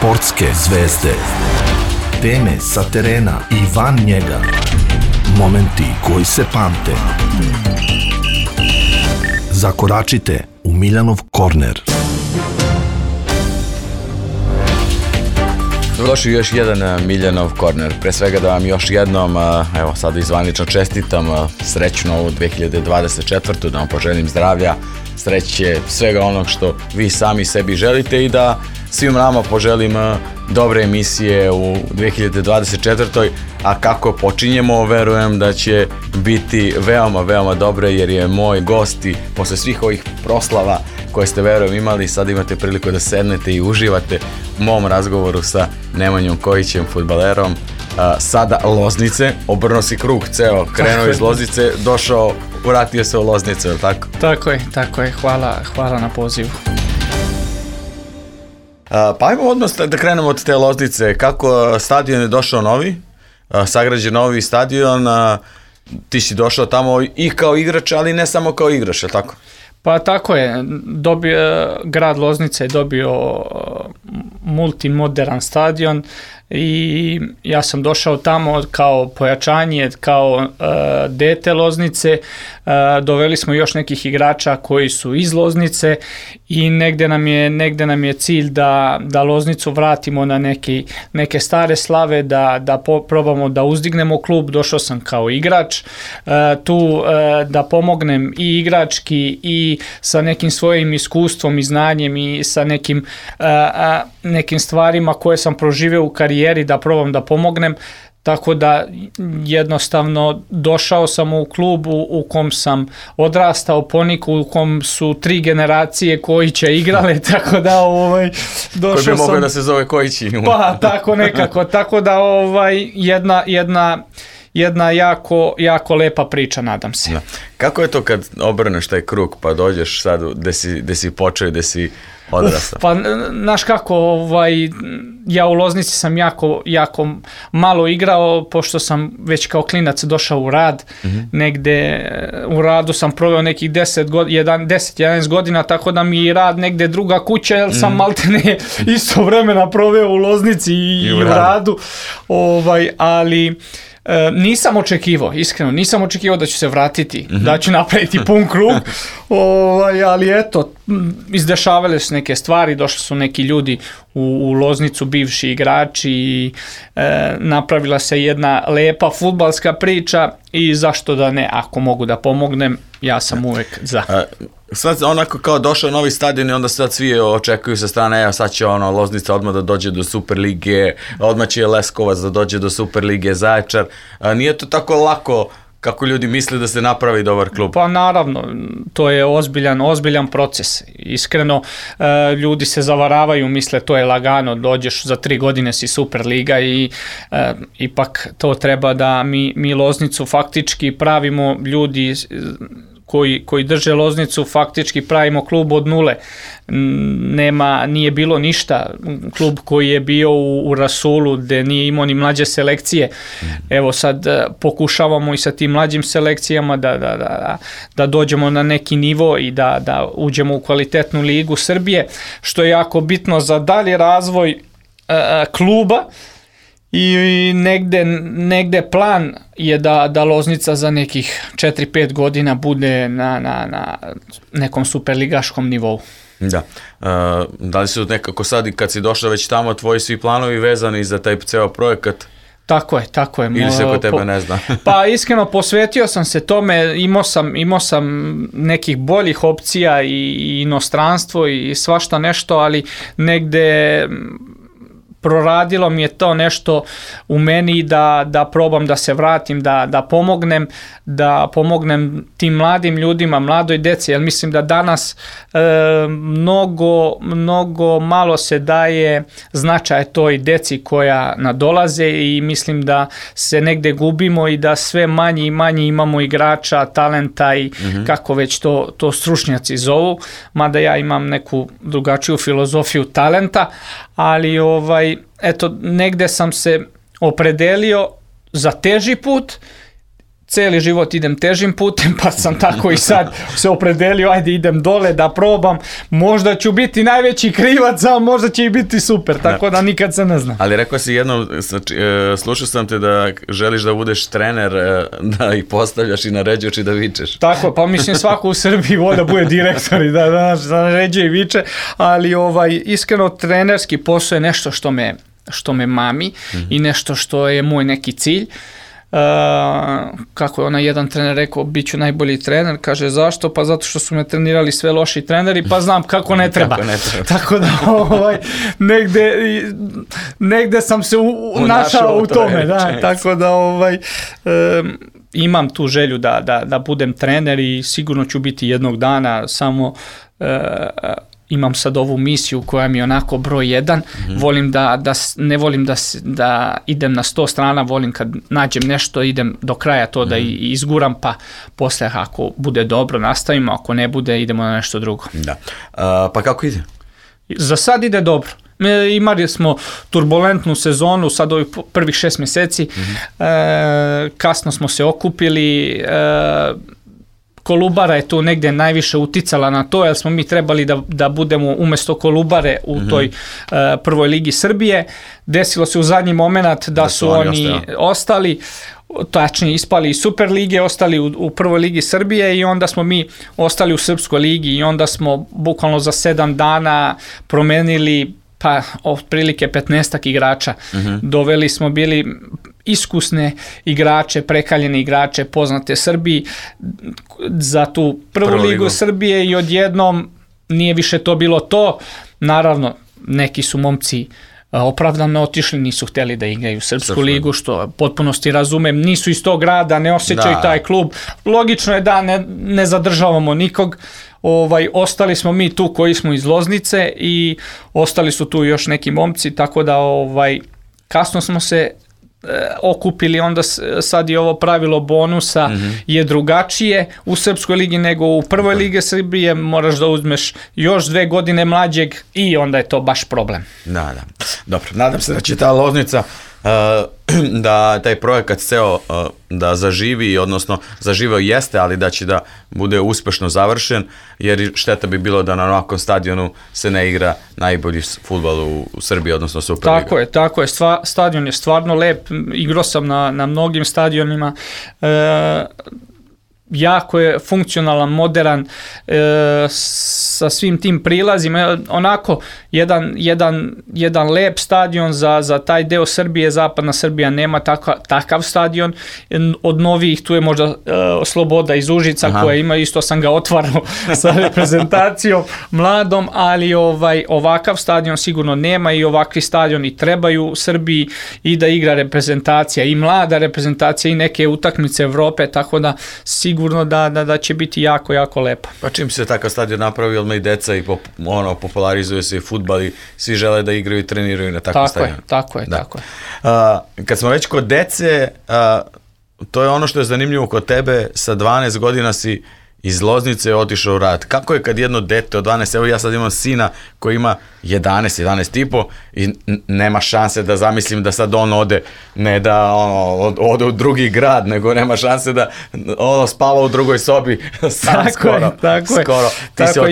Sportske zvezde. Teme sa terena i van njega. Momenti koji se pamte. Zakoračite u Miljanov korner. Dobrodošli u još jedan Miljanov korner. Pre svega da vam još jednom, evo sad izvanično čestitam srećnu ovu 2024. Da vam poželim zdravlja, sreće, svega onog što vi sami sebi želite i da svim nama poželim dobre emisije u 2024. A kako počinjemo, verujem da će biti veoma, veoma dobre, jer je moj gost i posle svih ovih proslava koje ste, verujem, imali, sad imate priliku da sednete i uživate u mom razgovoru sa Nemanjom Kojićem, fudbalerom, sada Loznice. Obrnuo si krug ceo, krenuo iz Loznice, došao, vratio se u Loznicu, je li tako? Tako je, hvala na pozivu. Pa ajmo odmah da krenemo od te Loznice. Kako stadion je došao novi, sagrađen novi stadion, ti si došao tamo i kao igrač, ali ne samo kao igrač, je li tako? Pa tako je, grad Loznica je dobio multimodern stadion i ja sam došao tamo kao pojačanje, kao dete Loznice. Doveli smo još nekih igrača koji su iz Loznice i negde nam je cilj da Loznicu vratimo na neke stare slave, da probamo da uzdignemo klub. Došao sam kao igrač tu da pomognem i igrački i sa nekim svojim iskustvom i znanjem i sa nekim stvarima koje sam proživeo u karijeri, da probam da pomognem. Tako da jednostavno došao sam u klub u kom sam odrastao, Poniku, u kom su 3 generacije Kojića igrale, tako da došao sam... Koji bi mogao da se zove Kojići? Pa tako nekako, tako da jedna jako lepa priča, nadam se. Da. Kako je to kad obrneš taj krug pa dođeš sad gde si počeo i gde si odrastao? Pa, znaš kako, ja u Loznici sam jako malo igrao, pošto sam već kao klinac došao u rad. Negde u radu sam proveo nekih 10-11 godina, tako da mi je rad negde druga kuća, jer sam maltene isto vremena proveo u Loznici i u radu. Ali... nisam očekivao, iskreno, nisam očekivao da ću se vratiti, da ću napraviti pun krug, ali eto, izdešavale su neke stvari, došli su neki ljudi u Loznicu, bivši igrači i napravila se jedna lepa fudbalska priča i zašto da ne, ako mogu da pomognem, ja sam uvek za. Sad onako kao došao novi stadion i onda sad svi očekuju sa strane, evo sad će Loznica odmah da dođe do Superlige, odmah će Leskovac da dođe do Superlige, Zaječar. Nije to tako lako kako ljudi misle da se napravi dobar klub? Pa naravno, to je ozbiljan proces. Iskreno, ljudi se zavaravaju, misle to je lagano, dođeš za 3 godine si Superliga i ipak to treba da mi Loznicu faktički pravimo, ljudi koji drže Loznicu, faktički pravimo klub od nule. Nije bilo ništa. Klub koji je bio u Rasulu, gde nije imao ni mlađe selekcije. Evo sad pokušavamo i sa tim mlađim selekcijama da dođemo na neki nivo i da uđemo u kvalitetnu ligu Srbije, što je jako bitno za dalji razvoj kluba. I negde plan je da Loznica za nekih 4-5 godina bude na nekom superligaškom nivou. Da. Da li su nekako sad i kad si došao već tamo tvoji svi planovi vezani za taj ceo projekat? Tako je. Ili se kod tebe ne zna? Pa iskreno posvetio sam se tome, imao sam nekih boljih opcija i inostranstvo i svašta nešto, ali negde... proradilo mi je to nešto u meni da probam da se vratim, da pomognem tim mladim ljudima, mladoj deci, jer mislim da danas mnogo malo se daje značaj toj deci koja nadolaze i mislim da se negde gubimo i da sve manje i manje imamo igrača, talenta i kako već to stručnjaci zovu, mada ja imam neku drugačiju filozofiju talenta, ali eto, negde sam se opredelio za teži put. cijeli život idem težim putem, pa sam tako i sad se opredelio, ajde idem dole da probam, možda ću biti najveći krivac, a možda će i biti super, tako da nikad se ne zna. Ali rekao si jednom, slušao sam te da želiš da budeš trener, da ih postavljaš i naređuješ i da vičeš. Tako, pa mislim svako u Srbiji voli da bude direktor i da naređuje i viče, ali iskreno trenerski posao je nešto što me mami i nešto što je moj neki cilj. Kako je onaj jedan trener rekao, bit ću najbolji trener, kaže zašto? Pa zato što su me trenirali sve loši treneri, pa znam kako ne treba. Tako da negde sam se našao u tome, da, tako da imam tu želju da budem trener i sigurno ću biti jednog dana, samo imam sad ovu misiju koja mi je onako broj 1, ne volim da idem na 100 strana, volim kad nađem nešto, idem do kraja to da izguram, pa posle ako bude dobro nastavimo, ako ne bude idemo na nešto drugo. Da. Pa kako ide? Za sad ide dobro. Imali smo turbulentnu sezonu, sad ovih prvih 6 mjeseci, kasno smo se okupili, Kolubara je tu negdje najviše uticala na to, jer smo mi trebali da budemo umjesto Kolubare u toj prvoj ligi Srbije. Desilo se u zadnji moment da su oni ostali, tačnije ispali iz Super lige, ostali u prvoj ligi Srbije i onda smo mi ostali u Srpskoj ligi i onda smo bukvalno za 7 dana promenili pa otprilike 15 igrača. Doveli smo bili iskusne igrače, prekaljene igrače, poznate Srbiji za tu prvu ligu Srbije i odjednom nije više to bilo to. Naravno, neki su momci opravdano otišli, nisu htjeli da igraju Srpsku ligu, što potpunosti razumem, nisu iz tog grada, ne osjećaju taj klub. Logično je da ne zadržavamo nikog. Ostali smo mi tu koji smo iz Loznice i ostali su tu još neki momci, tako da kasno smo se okupili, onda sad je ovo pravilo bonusa je drugačije u Srpskoj ligi nego u prvoj ligi Srbije, moraš da uzmeš još 2 godine mlađeg i onda je to baš problem. Da. Dobro, nadam se da će ta Loznica da taj projekat ceo da zaživi, odnosno zaživeo jeste, ali da će da bude uspešno završen, jer šteta bi bilo da na ovakvom stadionu se ne igra najbolji fudbal u Srbiji, odnosno Superliga. Tako je, stadion je stvarno lep, igrao sam na mnogim stadionima, jako je funkcionalan, modern, sa svim tim prilazima, onako jedan lep stadion za taj deo Srbije. Zapadna Srbija nema takav stadion. Od novih tu je možda Sloboda iz Užica koja ima, isto sam ga otvarao sa reprezentacijom mladom, ali ovakav stadion sigurno nema i ovakvi stadioni trebaju u Srbiji i da igra reprezentacija i mlada reprezentacija i neke utakmice Evrope, tako da sigurno da će biti jako, jako lepo. Pa čim se takav stadion napravi, odmah i deca i popularizuje se i fudbal i svi žele da igraju i treniraju na takav stadion. Tako je. Kad smo već kod dece, to je ono što je zanimljivo kod tebe, sa 12 godina si iz Loznice otišao u rad. Kako je kad jedno dete od 12, evo ja sad imam sina koji ima 11 i po i nema šanse da zamislim da sad on ode, ne da ode u drugi grad, nego nema šanse da spava u drugoj sobi sam skoro. Tako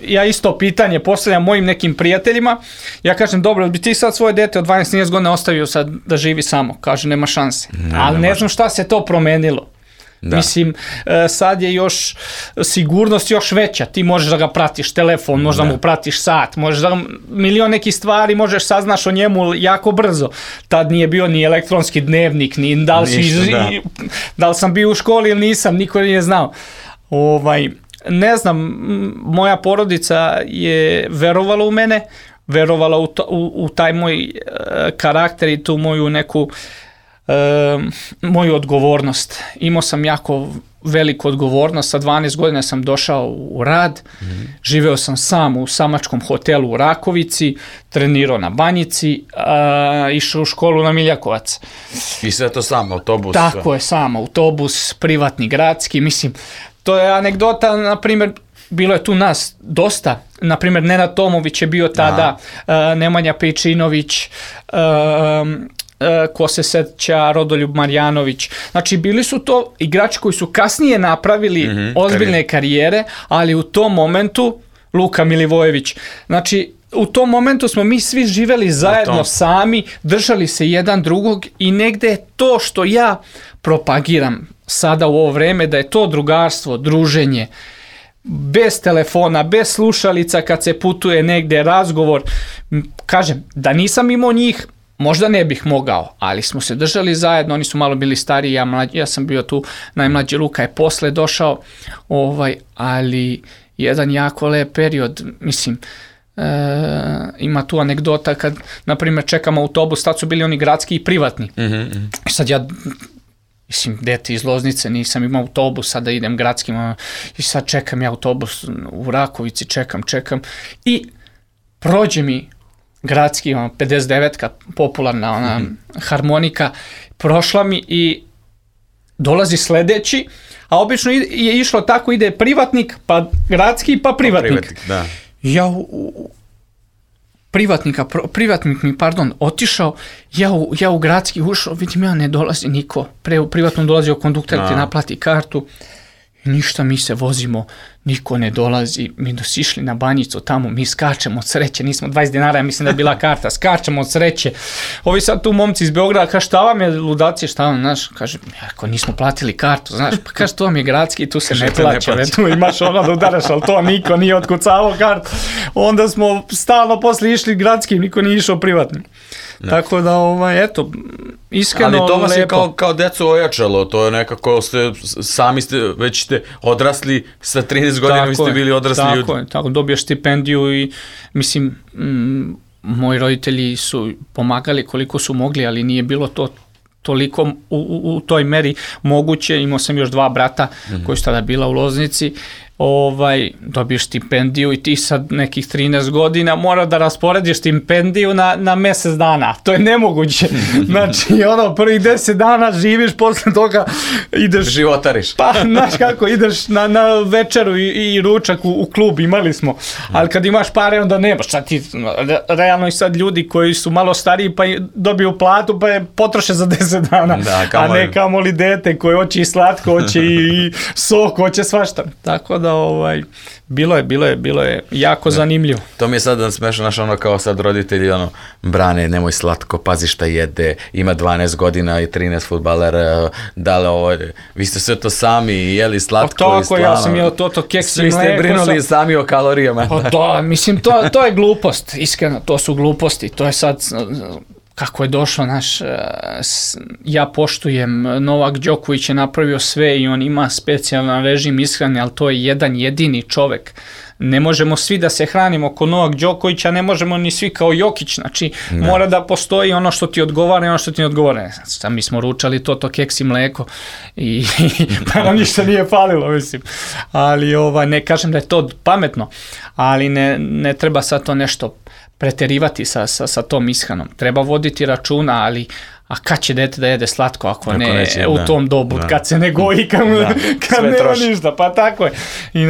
ja isto pitanje postavljam mojim nekim prijateljima, ja kažem dobro, bi ti sad svoje dete od 12 godina ostavio sad da živi samo? Kaže nema šanse, ali ne znam šta se to promenilo. Da. Mislim, sad je još sigurnost još veća, ti možeš da ga pratiš telefon, možeš da mu pratiš sat, možeš da milion nekih stvari možeš saznaš o njemu jako brzo. Tad nije bio ni elektronski dnevnik, ni da li sam bio u školi ili nisam, niko nije znao. Ne znam, moja porodica je verovala u mene, verovala u taj moj karakter i tu moju neku moju odgovornost. Imao sam jako veliku odgovornost, sa 12 godina sam došao u rad, živeo sam sam u samačkom hotelu u Rakovici, trenirao na Banjici, išao u školu na Miljakovac. I sve to sam, autobus? Tako je, sam, autobus, privatni, gradski, mislim, to je anegdota, na primjer, bilo je tu nas dosta, na primjer Nenad Tomović je bio tada, Nemanja Pejčinović, ko se seća Rodoljub Marjanović. Znači bili su to igrači koji su kasnije napravili ozbiljne karijere, ali u tom momentu Luka Milivojević. Znači u tom momentu smo mi svi živeli zajedno sami, držali se jedan drugog i negde je to što ja propagiram sada u ovo vreme, da je to drugarstvo, druženje, bez telefona, bez slušalica kad se putuje negde, razgovor. Kažem, da nisam imao njih, možda ne bih mogao, ali smo se držali zajedno, oni su malo bili stariji, ja sam bio tu najmlađi, Luka je posle došao, ali jedan jako lep period, mislim, ima tu anegdota kad, na primjer, čekam autobus, tad su bili oni gradski i privatni. I sad ja, mislim, dete iz Loznice, nisam imao autobus, sada idem gradskim, i sad čekam ja autobus u Rakovici, čekam i prođe mi gradski, 59-ka, popularna ona harmonika, prošla mi i dolazi sledeći, a obično je išlo tako, ide privatnik, pa gradski, pa privatnik. Da. Ja privatnik mi, otišao, ja u gradski ušao, vidim ja ne dolazi niko, pre u privatnom dolazio kondukter, ti naplati kartu, i ništa, mi se vozimo, niko ne dolazi, mi dosišli na Banjicu tamo, mi skačemo od sreće, nismo 20 dinara, ja mislim da je bila karta, skačemo od sreće, ovi sad tu momci iz Beograda, kaže šta vam je ludaci, šta vam, znaš, kaže, ako nismo platili kartu, znaš, pa kaže, to vam je gradski, tu se ne plaća, tu imaš ono da udaraš, ali to niko nije otkucavao kartu, onda smo stalno posle išli gradskim, niko nije išao privatnim. Ne. Tako da, eto, iskreno lepo. Ali to vas je kao deco ojačalo, to je nekako, sami ste, već ste odrasli, sa 13 godina vi ste bili odrasli ljudi. Tako, dobiješ stipendiju i, mislim, moji roditelji su pomagali koliko su mogli, ali nije bilo to toliko u toj meri moguće. Imao sam još 2 brata koji su tada bila u Loznici, dobiješ stipendiju i ti sad nekih 13 godina mora da rasporediš stipendiju na mesec dana. To je nemoguće. Znači, prvih 10 dana živiš, posle toga ideš... Životariš. Pa, znaš kako, ideš na večeru i ručak u klub, imali smo. Ali kad imaš pare, onda nemaš. Sad ti, realno i sad ljudi koji su malo stariji pa dobiju platu, pa je potroše za 10 dana. Da, a ne kamoli dete koje hoće i slatko, hoće i sok, hoće svašta. Tako da bilo je jako zanimljivo. To mi je sad smešno, znaš, kao sad roditelji, brane, nemoj slatko, pazi šta jede, ima 12 godina i 13 fudbalera, vi ste sve to sami jeli slatko i slano. Ja sam jeo to keks i mleko. Svi ste brinuli sami o kalorijama. Da, mislim, to je glupost, iskreno, to su gluposti, to je sad... Kako je došlo, ja poštujem, Novak Đoković je napravio sve i on ima specijalan režim ishrane, ali to je jedan jedini čovek. Ne možemo svi da se hranimo kao Novak Đoković, a ne možemo ni svi kao Jokić, znači mora da postoji ono što ti odgovara i ono što ti ne odgovara. Mi smo ručali to keks i mleko i pa nam ništa nije falilo, mislim. Ali ne kažem da je to pametno, ali ne treba sad to nešto preterivati sa tom ishranom. Treba voditi računa, ali kad će dete da jede slatko ako neće, u tom dobu, kad se ne goji, kad nema ništa, pa tako je. I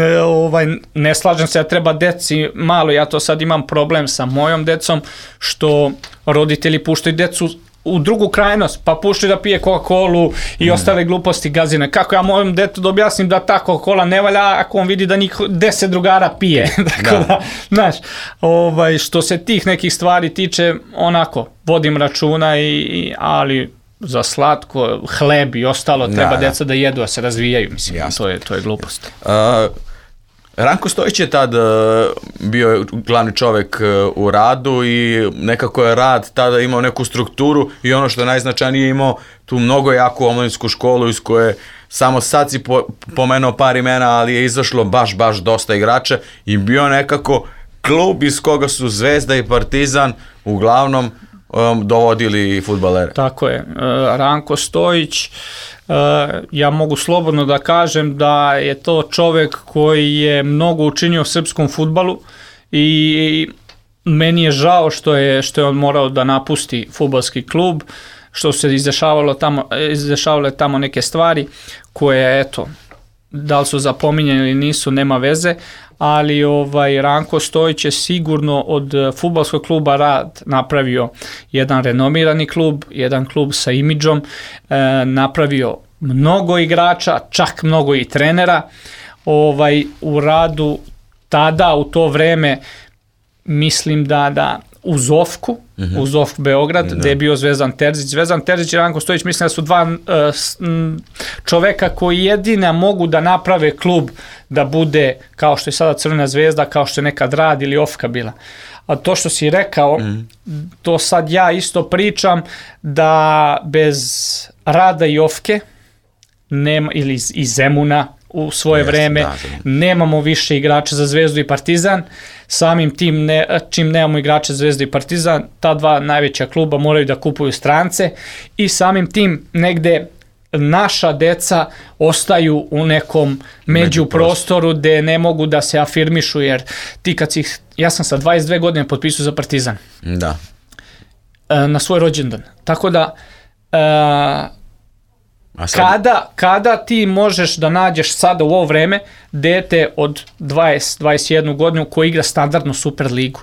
ne slažem se, treba deci malo, ja to sad imam problem sa mojom decom, što roditelji puštaju decu u drugu krajnost, pa puštaju da pije Coca-Colu i ostale gluposti gazine. Kako ja mojom detu da objasnim da ta Coca-Cola ne valja ako on vidi da njih 10 drugara pije. Tako da, znaš, što se tih nekih stvari tiče, onako, vodim računa, ali za slatko, hleb i ostalo treba deca da jedu, a se razvijaju, mislim, to je glupost. Ranko Stojić je tad bio glavni čovek u radu i nekako je rad tada imao neku strukturu i ono što je najznačajnije, imao tu mnogo jaku omladinsku školu iz koje samo sad si pomenuo par imena, ali je izašlo baš dosta igrača i bio nekako klub iz koga su Zvezda i Partizan uglavnom dovodili fudbalere. Tako je, Ranko Stojić, ja mogu slobodno da kažem da je to čovek koji je mnogo učinio srpskom fudbalu i meni je žao što je on morao da napusti fudbalski klub, što se izdešavale tamo neke stvari koje, eto, da li su zapominjeni ili nisu, nema veze, ali Ranko Stojić je sigurno od fudbalskog kluba Rad napravio jedan renomirani klub, jedan klub sa imidžom, napravio mnogo igrača, čak mnogo i trenera. U Radu tada, u to vreme, mislim da uz Ofku, uz Ofk Beograd, gde je bio Zvezdan Terzić. Zvezdan Terzić i Ranko Stojić, mislim da su dva čoveka koji jedina mogu da naprave klub da bude kao što je sada Crvena Zvezda, kao što je nekad Rad ili Ofka bila. A to što si rekao, to sad ja isto pričam, da bez Rada i Ofke, nema, ili iz Zemuna u svoje vreme, nemamo više igrača za Zvezdu i Partizan. Samim tim, čim nemamo igrača za Zvezdu i Partizan, ta dva najveća kluba moraju da kupuju strance i samim tim negde naša deca ostaju u nekom međuprostoru gde ne mogu da se afirmišu, jer ti kad si, ja sam sa 22 godine potpisao za Partizan. Da. Na svoj rođendan. Tako da kada ti možeš da nađeš sada u ovo vreme dete od 20-21 godinu koji igra standardnu Super ligu?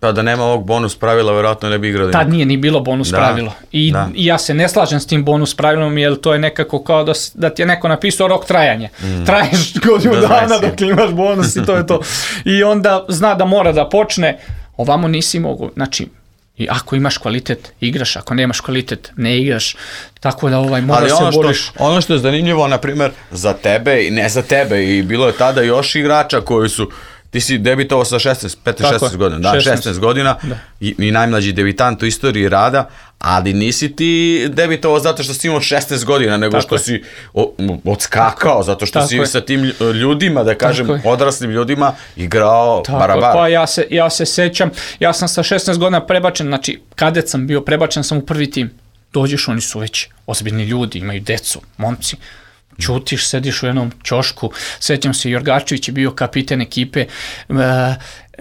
Pa da nema ovog bonus pravila, vjerojatno ne bi igrali. Tad nije ni bilo bonus pravilo. I ja se ne slažem s tim bonus pravilom, jer to je nekako kao da ti je neko napisao rok trajanja. Traješ godinu dana dok imaš bonus i to je to. I onda zna da mora da počne, ovamo nisi mogu. Znači, i ako imaš kvalitet, igraš, ako nemaš kvalitet, ne igraš, tako da mora se boriš. Ono što je zanimljivo, na primjer, za tebe i ne za tebe, i bilo je tada još igrača koji su, ti si debitovao sa 15-16 godina, da, 16 godina i najmlađi debitant u istoriji Rada, ali nisi ti debitovao zato što si imao 16 godina, nego što si odskakao, zato što si sa tim ljudima, da kažem, odraslim ljudima, igrao barabar. Pa ja se sećam, ja sam sa 16 godina prebačen, znači kadet sam bio, prebačen sam u prvi tim. Dođeš, oni su već ozbiljni ljudi, imaju decu, momci. Ćutiš, sediš u jednom ćošku, sećam se, Jorgačević je bio kapiten ekipe,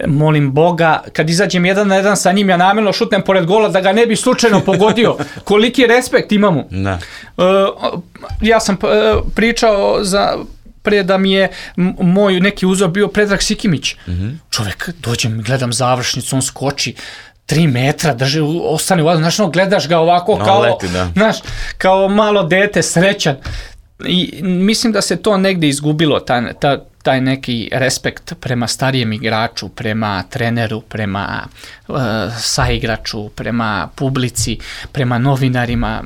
molim Boga, kad izađem 1-1 sa njim, ja namjerno šutnem pored gola da ga ne bi slučajno pogodio, koliki respekt imamo. Ja sam pričao pre da mi je moj neki uzor bio Predrag Sikimić. Čovjek, dođem, gledam završnicu, on skoči 3 metra, drži, ostane u vazduhu, znaš, gledaš ga ovako kao malo dete, srećan. I mislim da se to negde izgubilo, taj neki respekt prema starijem igraču, prema treneru, prema saigraču, prema publici, prema novinarima.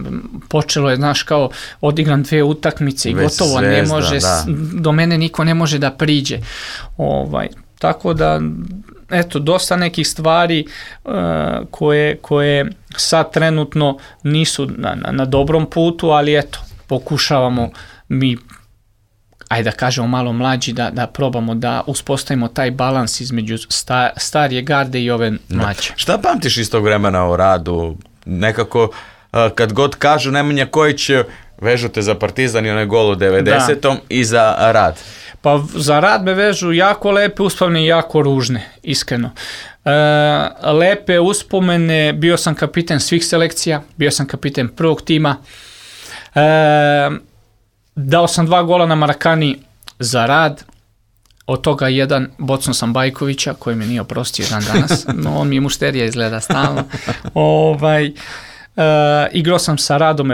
Počelo je, znaš, kao odigram 2 utakmice i gotovo, ne može, do mene niko ne može da priđe. Tako da, eto, dosta nekih stvari koje sad trenutno nisu na dobrom putu, ali eto, pokušavamo mi, ajde da kažemo malo mlađi, da probamo da uspostavimo taj balans između starije garde i ove mlađe. Šta pamtiš iz tog vremena o Radu? Nekako, kad god kažu Nemanja Kojić, vežu te za Partizan i onaj gol u 90. i za Rad. Pa za Rad me vežu jako lepe uspomene i jako ružne, iskreno. Lepe uspomene, bio sam kapiten svih selekcija, bio sam kapiten prvog tima, dao sam 2 gola na Marakani za Rad, od toga jedan bocno sam Bajkovića, koji me nije oprostio dan danas, no on mi je mušterija izgleda stalno. Igrao sam sa Radom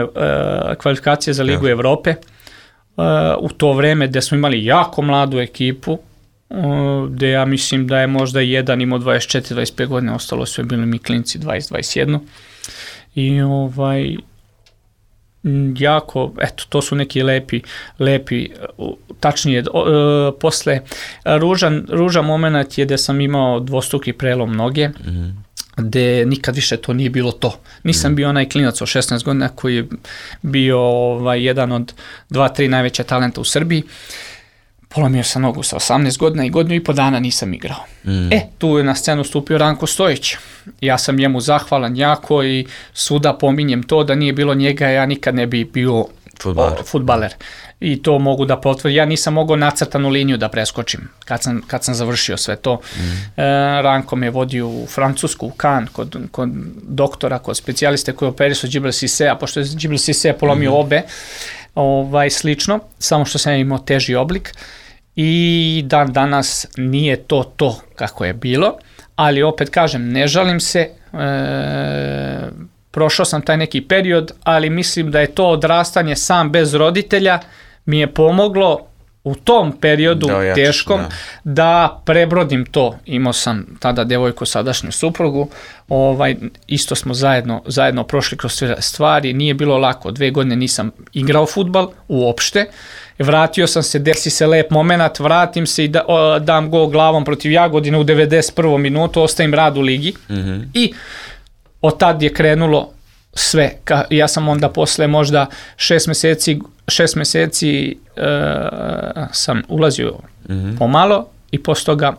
kvalifikacije za Ligu Evrope, u to vreme gde smo imali jako mladu ekipu, gde ja mislim da je možda jedan imao 24-25 godina, ostalo su bili mi klinci 20-21 i jako, eto, to su neki lepi, tačnije, posle ružan moment je gde sam imao dvostruki prelom noge, gde nikad više to nije bilo to. Nisam bio onaj klinac od 16 godina koji je bio jedan od 2-3 najveća talenta u Srbiji. Polomio sam nogu sa 18 godina i godinu i po dana nisam igrao. Tu je na scenu stupio Ranko Stojić. Ja sam njemu zahvalan jako i svuda pominjem to, da nije bilo njega, ja nikad ne bi bio fudbaler. I to mogu da potvrdim. Ja nisam mogao nacrtanu liniju da preskočim kad sam završio sve to. Ranko me vodio u Francusku, u Cannes, kod doktora, kod specijaliste koji operisu Džibril Sisea, pošto je Džibril Sisea polomio obe. slično, samo što sam imao teži oblik i dan danas nije to kako je bilo, ali opet kažem, ne žalim se, prošao sam taj neki period, ali mislim da je to odrastanje sam bez roditelja mi je pomoglo u tom periodu teškom da prebrodim to. Imao sam tada devojku, sadašnju suprugu, isto smo zajedno prošli kroz sve stvari, nije bilo lako, 2 godine nisam igrao fudbal uopšte, vratio sam se, desi se lep moment, vratim se i dam gol glavom protiv Jagodine u 91. minutu, ostavim rad u ligi i od tad je krenulo sve. Ja sam onda posle možda 6 meseci sam ulazio pomalo i posle toga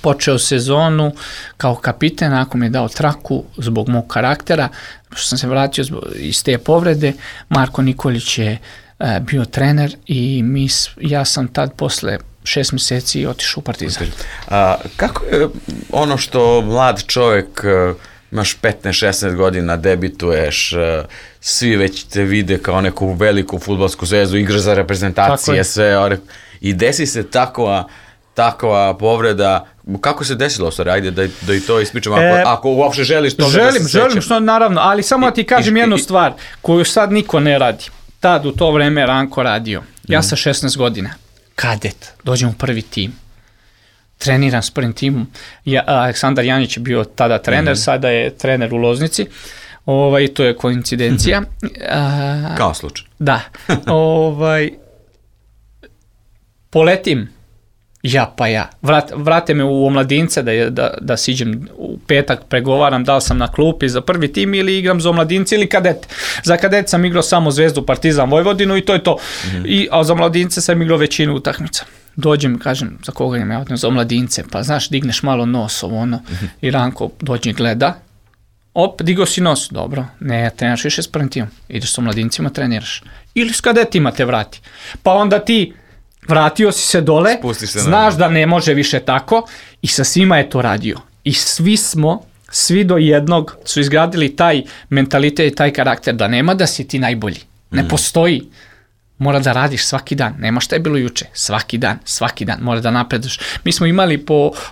počeo sezonu kao kapiten, ako mi je dao traku zbog mog karaktera, što sam se vratio iz te povrede. Marko Nikolić je bio trener i ja sam tad posle 6 meseci otišao u Partizan. Kako je ono što mlad čovjek, imaš 15-16 godina, debituješ, svi već te vide kao neku veliku fudbalsku zvezdu, igraš za reprezentacije, sve, i desi se takva povreda. Kako se desilo, stvari? Ajde da i to ispričam, ako uopšte želiš toga da se sećam. Želim, što naravno, ali samo ti kažem jednu stvar koju sad niko ne radi. Tad u to vreme Ranko radio. Ja sa 16 godina, kadet, dođem u prvi tim. Treniram s prvim timom. Aleksandar Janić je bio tada trener, sada je trener u Loznici. To je koincidencija. Kao slučaj. Da. Poletim. Ja. Vrate me u omladince da siđem u petak, pregovaram da li sam na klupi za prvi tim ili igram za omladince ili kadete. Za kadete sam igrao samo Zvezdu, Partizan, Vojvodinu i to je to. A za omladince sam igrao većinu utakmica. Dođem, kažem, za koga imam ja, za omladince, pa znaš, digneš malo nos, i Ranko dođe i gleda, digao si nos, dobro, ne treniraš više s prvim timom, ideš s omladincima, treniraš, ili s kadetima te vrati, pa onda ti vratio si se dole, znaš da ne može više tako i sa svima je to radio i svi do jednog su izgradili taj mentalitet i taj karakter da nema da si ti najbolji, ne postoji. Mora da radiš svaki dan, nema šta je bilo juče, svaki dan, mora da napreduješ. Mi smo imali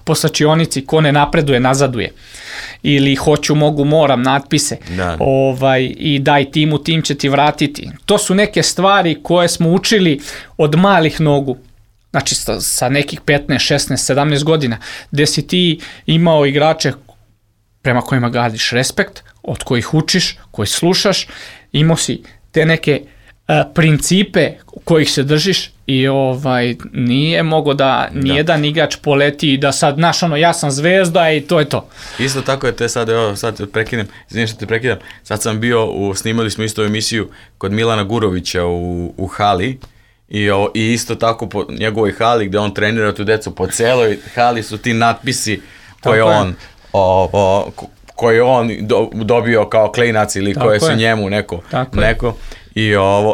po slačionici ko ne napreduje, nazaduje. Ili hoću, mogu, moram, natpise. I daj timu, tim će ti vratiti. To su neke stvari koje smo učili od malih nogu. Znači sa nekih 15, 16, 17 godina, gde si ti imao igrače prema kojima gradiš respekt, od kojih učiš, koji slušaš, imao si te neke principe kojih se držiš i nije mogo da nijedan igrač poleti i da sad, znaš, ja sam zvezda i to je to. Isto tako je te sad, sad prekidam, izvinim što te prekidam, sad sam bio, snimali smo isto emisiju kod Milana Gurovića u hali i isto tako po njegovoj hali gde on trenira tu decu, po celoj hali su ti natpisi koje on dobio kao klinac ili koje su njemu neko.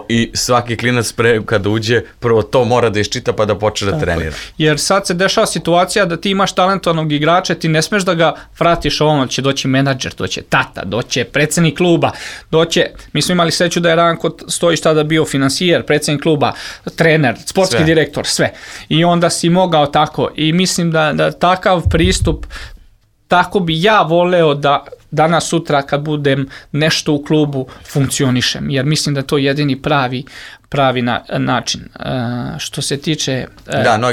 I svaki klinac kada uđe, prvo to mora da iščita pa da počne da trenira. Jer sad se dešava situacija da ti imaš talentovanog igrača, ti ne smeš da ga vratiš će doći menadžer, doće tata, doće predsjednik kluba, mi smo imali sreću da je Ranko Stojić tada bio finansijer, predsjednik kluba, trener, sportski direktor, sve. I onda si mogao tako i mislim da takav pristup, tako bi ja voleo da danas sutra kad budem nešto u klubu funkcionišem, jer mislim da to je jedini pravi način. Što se tiče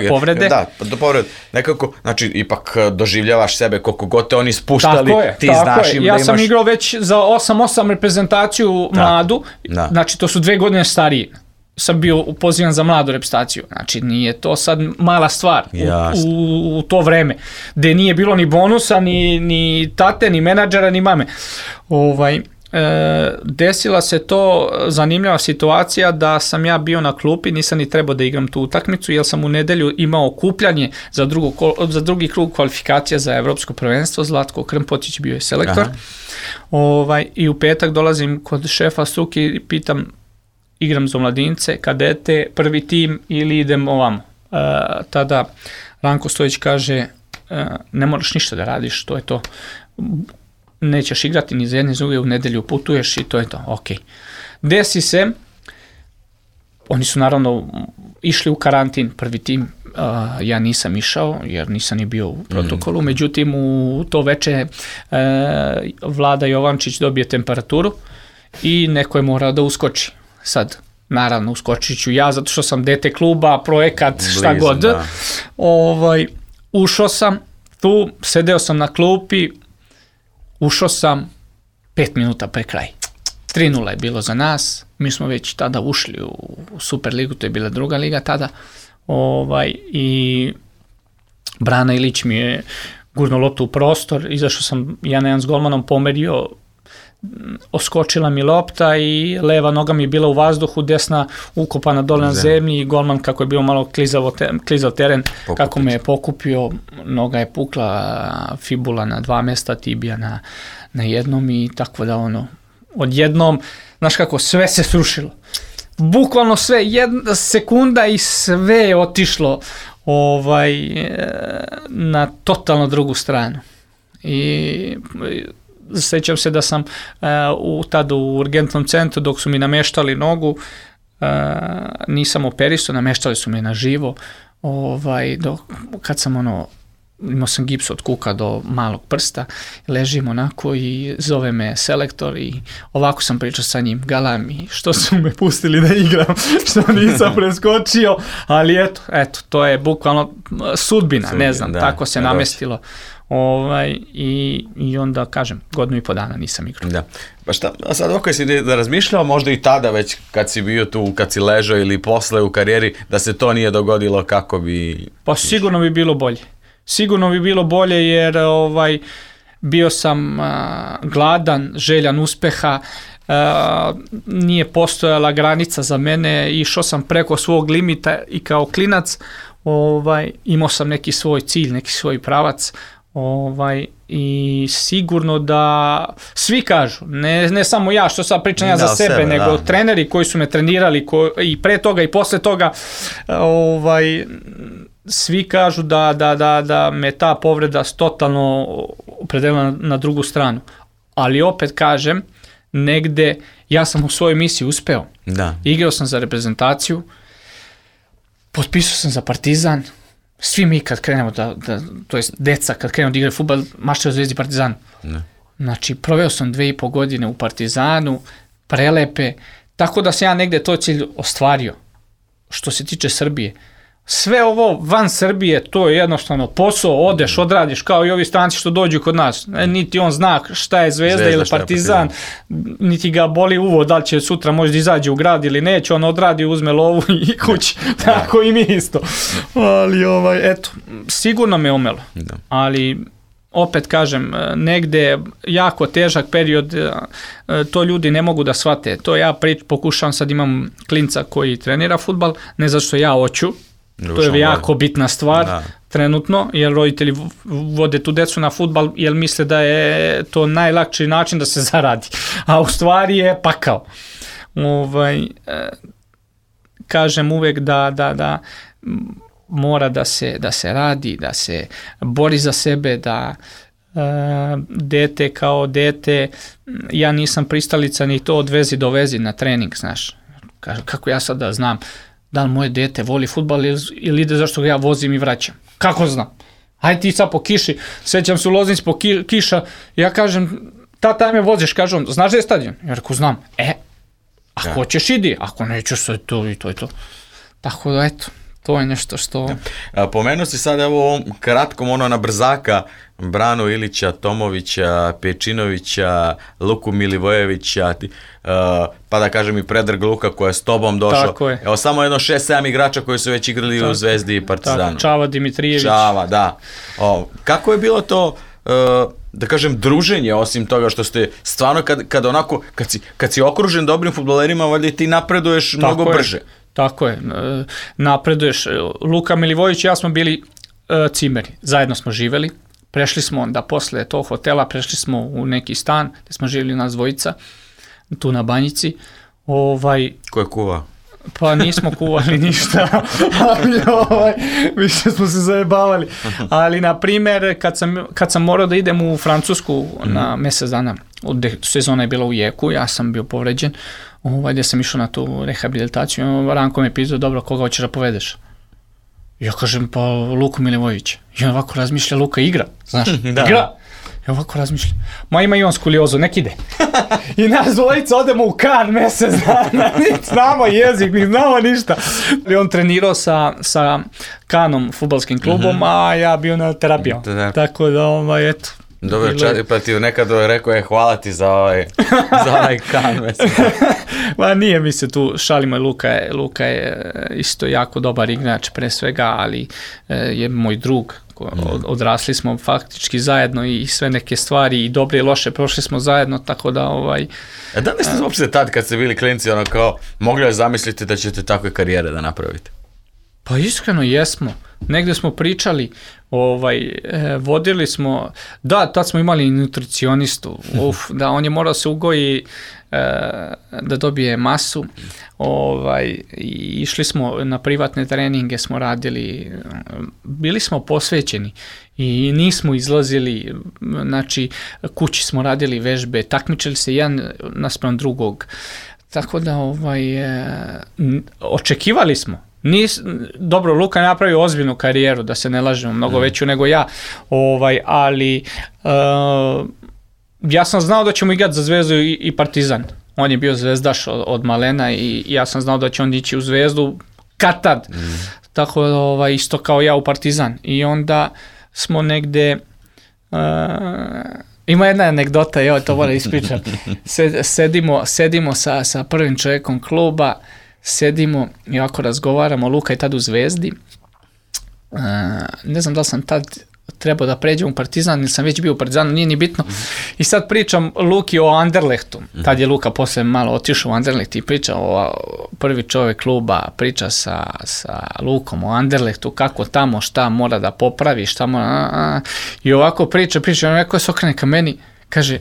povrede. Da, do povrede. Nekako, znači, ipak doživljavaš sebe koliko god te oni spuštali, ti znaš im da imaš... Ja sam igrao već za 8 reprezentaciju mladu, znači to su 2 godine stariji. Sam bio pozivan za mladu reprezentaciju. Znači, nije to sad mala stvar u to vreme, gde nije bilo ni bonusa, ni tate, ni menadžera, ni mame. Desila se to zanimljiva situacija da sam ja bio na klupi, nisam ni trebao da igram tu utakmicu, jer sam u nedelju imao okupljanje za drugi krug kvalifikacija za evropsko prvenstvo. Zlatko Krmpotić bio je selektor. I u petak dolazim kod šefa struke i pitam, igram za omladince, kadete, prvi tim ili idem ovamo. Tada Ranko Stojić kaže, ne moraš ništa da radiš, to je to. Nećeš igrati ni za jedne, za druge, u nedelju putuješ i to je to, ok. Desi se, oni su naravno išli u karantin, prvi tim, ja nisam išao jer nisam ni bio u protokolu, međutim u to veče Vlada Jovančić dobije temperaturu i neko je morao da uskoči. Sad, naravno, uskočit ću ja zato što sam dete kluba, projekat, šta god. Da. Ušao sam tu, sedeo sam na klupi, ušao sam 5 minuta pre kraj. 3:0 je bilo za nas, mi smo već tada ušli u Superligu, to je bila druga liga tada, i Brana Ilić mi je gurno loptu u prostor, izašao sam 1-1 s golmanom, pomerio, oskočila mi lopta i leva noga mi je bila u vazduhu, desna ukopana dole na zemlji i golman kako je bio malo klizav teren, kako me je pokupio, noga je pukla, fibula na 2 mesta, tibija na jednom i tako da odjednom, znaš kako, sve se srušilo. Bukvalno sve, jedna sekunda i sve je otišlo na totalno drugu stranu. I sjećam se da sam tada u urgentnom centru dok su mi nameštali nogu, nisam operisao, nameštali su me na živo, kad sam imao sam gips od kuka do malog prsta, ležim onako i zove me selektor i ovako sam pričao sa njim, galam i što su me pustili da igram, što nisam preskočio, ali eto, to je bukvalno sudbina, ne znam, tako se namestilo. I onda kažem, 1,5 dana nisam igrao. Da. Pa šta, a sad ovako si da razmišljao možda i tada već kad si bio tu, kad si ležao ili posle u karijeri, da se to nije dogodilo, kako bi... Pa sigurno bi bilo bolje. Sigurno bi bilo bolje jer bio sam gladan, željan uspeha, nije postojala granica za mene, išao sam preko svog limita i kao klinac imao sam neki svoj cilj, neki svoj pravac, i sigurno da svi kažu, ne samo ja što sad pričam ja za sebe, nego treneri koji su me trenirali i pre toga i posle toga, svi kažu da me ta povreda totalno opredelila na drugu stranu. Ali opet kažem, negde ja sam u svojoj misiji uspeo. Da. Igrao sam za reprezentaciju, potpisao sam za Partizan, svi mi kad krenemo to jest deca kad krenemo da igraju fudbal, maštaju Zvezdi Partizanu. Znači, proveo sam 2,5 godine u Partizanu, prelepe, tako da sam ja negde to cilj ostvario. Što se tiče Srbije, sve ovo van Srbije, to je jednostavno posao, odeš, odradiš, kao i ovi stranci što dođu kod nas. Niti on zna šta je Zvezda ili Partizan, niti ga boli uvo, da li će sutra možda izađe u grad ili neće, on odradi, uzme lovu i kući. Tako i mi isto. Ali, eto, sigurno me omelo. Ali, opet kažem, negde jako težak period, to ljudi ne mogu da shvate. To ja pokušavam, sad imam klinca koji trenira fudbal, ne zato što ja hoću, to je jako bitna stvar trenutno, jer roditelji vode tu decu na fudbal jer misle da je to najlakši način da se zaradi, a u stvari je pakao. Kažem uvek da mora da se radi, da se bori za sebe, da dete kao dete, ja nisam pristalica ni to od vezi do vezi na trening, znaš. Kako ja sad da znam da li moje dete voli fudbal ili ide zašto ga ja vozim i vraćam. Kako znam? Ajde ti sad po kiši, sećam se u Loznici po kiša, ja kažem, tata me voziš, kažem, znaš da je stadion? Ja rekao, znam. Ako hoćeš idi, ako nećeš sve to i to je to. Tako da eto, to je nešto što... Pomenuo si sad evo kratkom na brzaka Branu Ilića, Tomovića, Pečinovića, Luku Milivojevića, pa da kažem i Predrag Luka koja je s tobom došao. Tako je. Evo samo 6-7 igrača koji su već igrali u Zvezdi i Partizanu. Tako, Čava Dimitrijević. Čava, da. Kako je bilo to, da kažem, druženje, osim toga što ste stvarno kad onako, kad si okružen dobrim fudbalerima, valjda ti napreduješ mnogo brže. Tako je, napreduješ. Luka Milivojević i ja smo bili cimeri, zajedno smo živeli, prešli smo onda posle tog hotela, prešli smo u neki stan gde smo živjeli nas dvojica, tu na Banjici. Ko je kuva? Pa nismo kuvali ništa, ali više smo se zajebavali. Ali, na primjer, kad sam morao da idem u Francusku na mesec dana, sezona je bila u jeku, ja sam bio povređen, gdje sam išao na tu rehabilitaciju, Ranko me pitao, dobro, koga hoćeš da povedeš? Ja kažem, pa Luku Milivojevića. I on ovako razmišlja, Luka igra, znaš, igra. Ja ovako razmišljam, ma ima i on skuliozu, nek ide. I nas dvojica odemo u Kan mesec dana, niti znamo jezik, niti znamo ništa. I on trenirao sa Kanom, fudbalskim klubom, a ja bio na terapijama. Tako da, eto. Dobro, pa ti nekad rekao hvala ti za ovaj Kan mesec. Ma nije mi se tu šalimo, Luka je isto jako dobar igrač pre svega, ali je moj drug. Odrasli smo faktički zajedno i sve neke stvari i dobre i loše prošli smo zajedno, tako da Da li ste uopšte tad kad ste bili klinci kao mogli da zamislite da ćete takve karijere da napravite? Pa iskreno jesmo. Negde smo pričali, vodili smo, da, tad smo imali nutricionistu, da on je morao se ugoji da dobije masu, i išli smo na privatne treninge, smo radili, bili smo posvećeni i nismo izlazili, znači kući smo radili vežbe, takmičili se jedan naspram drugog, tako da očekivali smo. Dobro, Luka napravio ozbiljnu karijeru, da se ne lažemo, mnogo veću nego ja, ali ja sam znao da ćemo igrati za Zvezdu i Partizan. On je bio zvezdaš od malena i ja sam znao da će on ići u Zvezdu kad tad. Tako da isto kao ja u Partizan. I onda smo negde... Ima jedna anegdota, to moram ispričati. Sedimo sa prvim čovjekom kluba, sedimo i ovako razgovaramo, Luka je tad u Zvezdi. Ne znam da li sam tad trebao da pređem u Partizan ili sam već bio u Partizanu, nije ni bitno. I sad pričam Luki o Anderlehtu. Tad je Luka posle malo otišao u Anderleht i priča prvi čovjek kluba, priča sa Lukom o Anderlehtu, kako tamo, šta mora da popravi, šta mora... I ovako priča, on neko se okrene ka meni, kaže,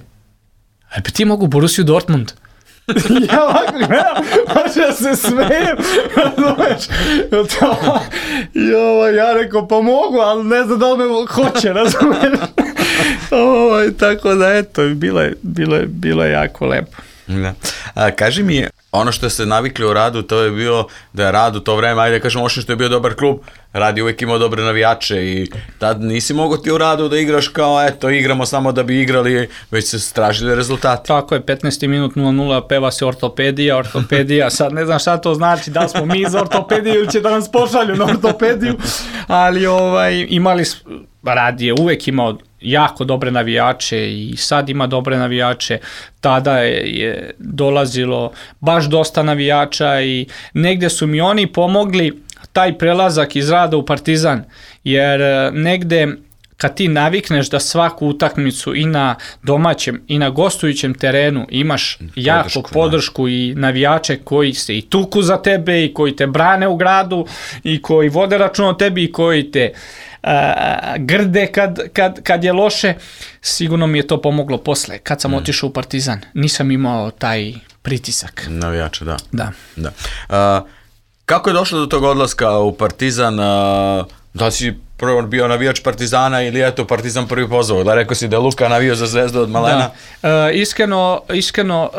a ti mogu Borussiju Dortmund? Ja ovako gledam, hoće da se smijem, razumeš, ja rekao, pa mogu, ali ne znam da li me hoće, razumeš, tako da eto, bilo je jako lepo. Kaži mi, ono što ste navikli u Radu, to je bio da je Rad u to vreme, ajde kažem, osim što je bio dobar klub, Rad je uvijek imao dobre navijače i tad nisi mogao ti u Radu da igraš kao, eto, igramo samo da bi igrali, već se tražili rezultati. Tako je, 15. minut 0-0, peva se ortopedija, sad ne znam šta to znači, da smo mi za ortopediju ili će da nas pošalju na ortopediju, ali imali, Rad je uvijek imao jako dobre navijače i sad ima dobre navijače, tada je dolazilo baš dosta navijača i negde su mi oni pomogli taj prelazak iz Rada u Partizan, jer negde kad ti navikneš da svaku utakmicu i na domaćem i na gostujućem terenu imaš jaku podršku i navijače koji se i tuku za tebe i koji te brane u gradu i koji vode račun o tebi i koji te grde kad je loše, sigurno mi je to pomoglo posle. Kad sam otišao u Partizan, nisam imao taj pritisak. Navijača, da. Kako je došlo do tog odlaska u Partizan? Da si prvo bio navijač Partizana ili je to Partizan prvi pozvao? Da rekao si da je Luka navio za Zvezdu od malena? Iskreno,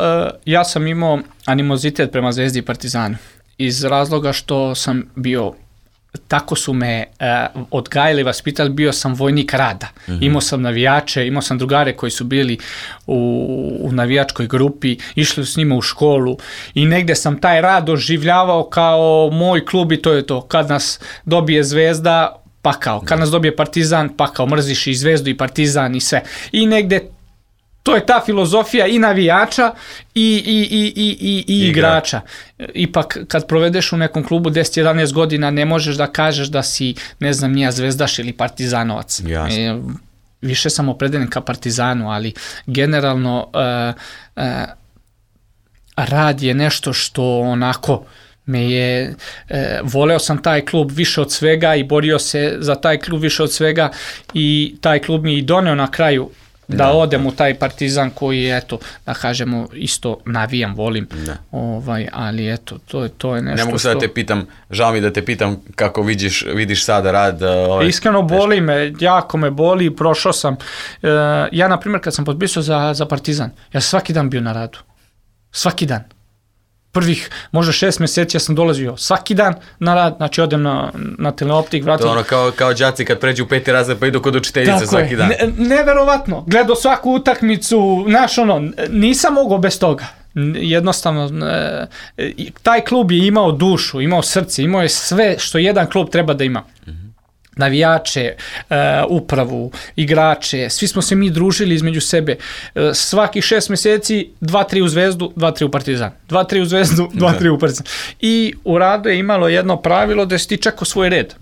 ja sam imao animozitet prema Zvezdi i Partizanu. Iz razloga što sam bio, tako su me odgajali, vaspitali, bio sam vojnik Rada. Imao sam navijače, imao sam drugare koji su bili u navijačkoj grupi, išli s njima u školu i negde sam taj Rad doživljavao kao moj klub i to je to. Kad nas dobije Zvezda, pakao. Kad nas dobije Partizan, pakao. Mrziš i Zvezdu i Partizan i sve. I negde to je ta filozofija i navijača i igrača. Ipak kad provedeš u nekom klubu 10-11 godina ne možeš da kažeš da si, ne znam, nija Zvezdaš ili Partizanovac. Više sam opredeljen ka Partizanu, ali generalno Rad je nešto što onako me je, voleo sam taj klub više od svega i borio se za taj klub više od svega i taj klub mi i doneo na kraju da odem u taj Partizan koji, eto, da kažemo, isto navijam, volim, ali eto, to je nešto. Ne mogu sad da te pitam, žao mi da te pitam kako vidiš sada Rad. Iskreno boli me, jako me boli, prošao sam. Ja, na primjer, kad sam potpisao za Partizan, ja svaki dan bio na Radu. Svaki dan. prvih možda 6 mjeseci ja sam dolazio svaki dan na rad, znači odem na teleoptik, vratim. To ono kao đaci kad pređu u 5. razred pa idu kod učiteljice svaki dan. Neverovatno, gledao svaku utakmicu, znaš ono, nisam mogao bez toga. Jednostavno, taj klub je imao dušu, imao srce, imao je sve što jedan klub treba da ima. Navijače, upravu, igrače, svi smo se mi družili između sebe. Svakih 6 mjeseci 2-3 u Zvezdu, 2-3 u Partizan. 2-3 u Zvezdu, 2-3 u Partizan. I u Radu je imalo jedno pravilo da si ti čekao svoj red.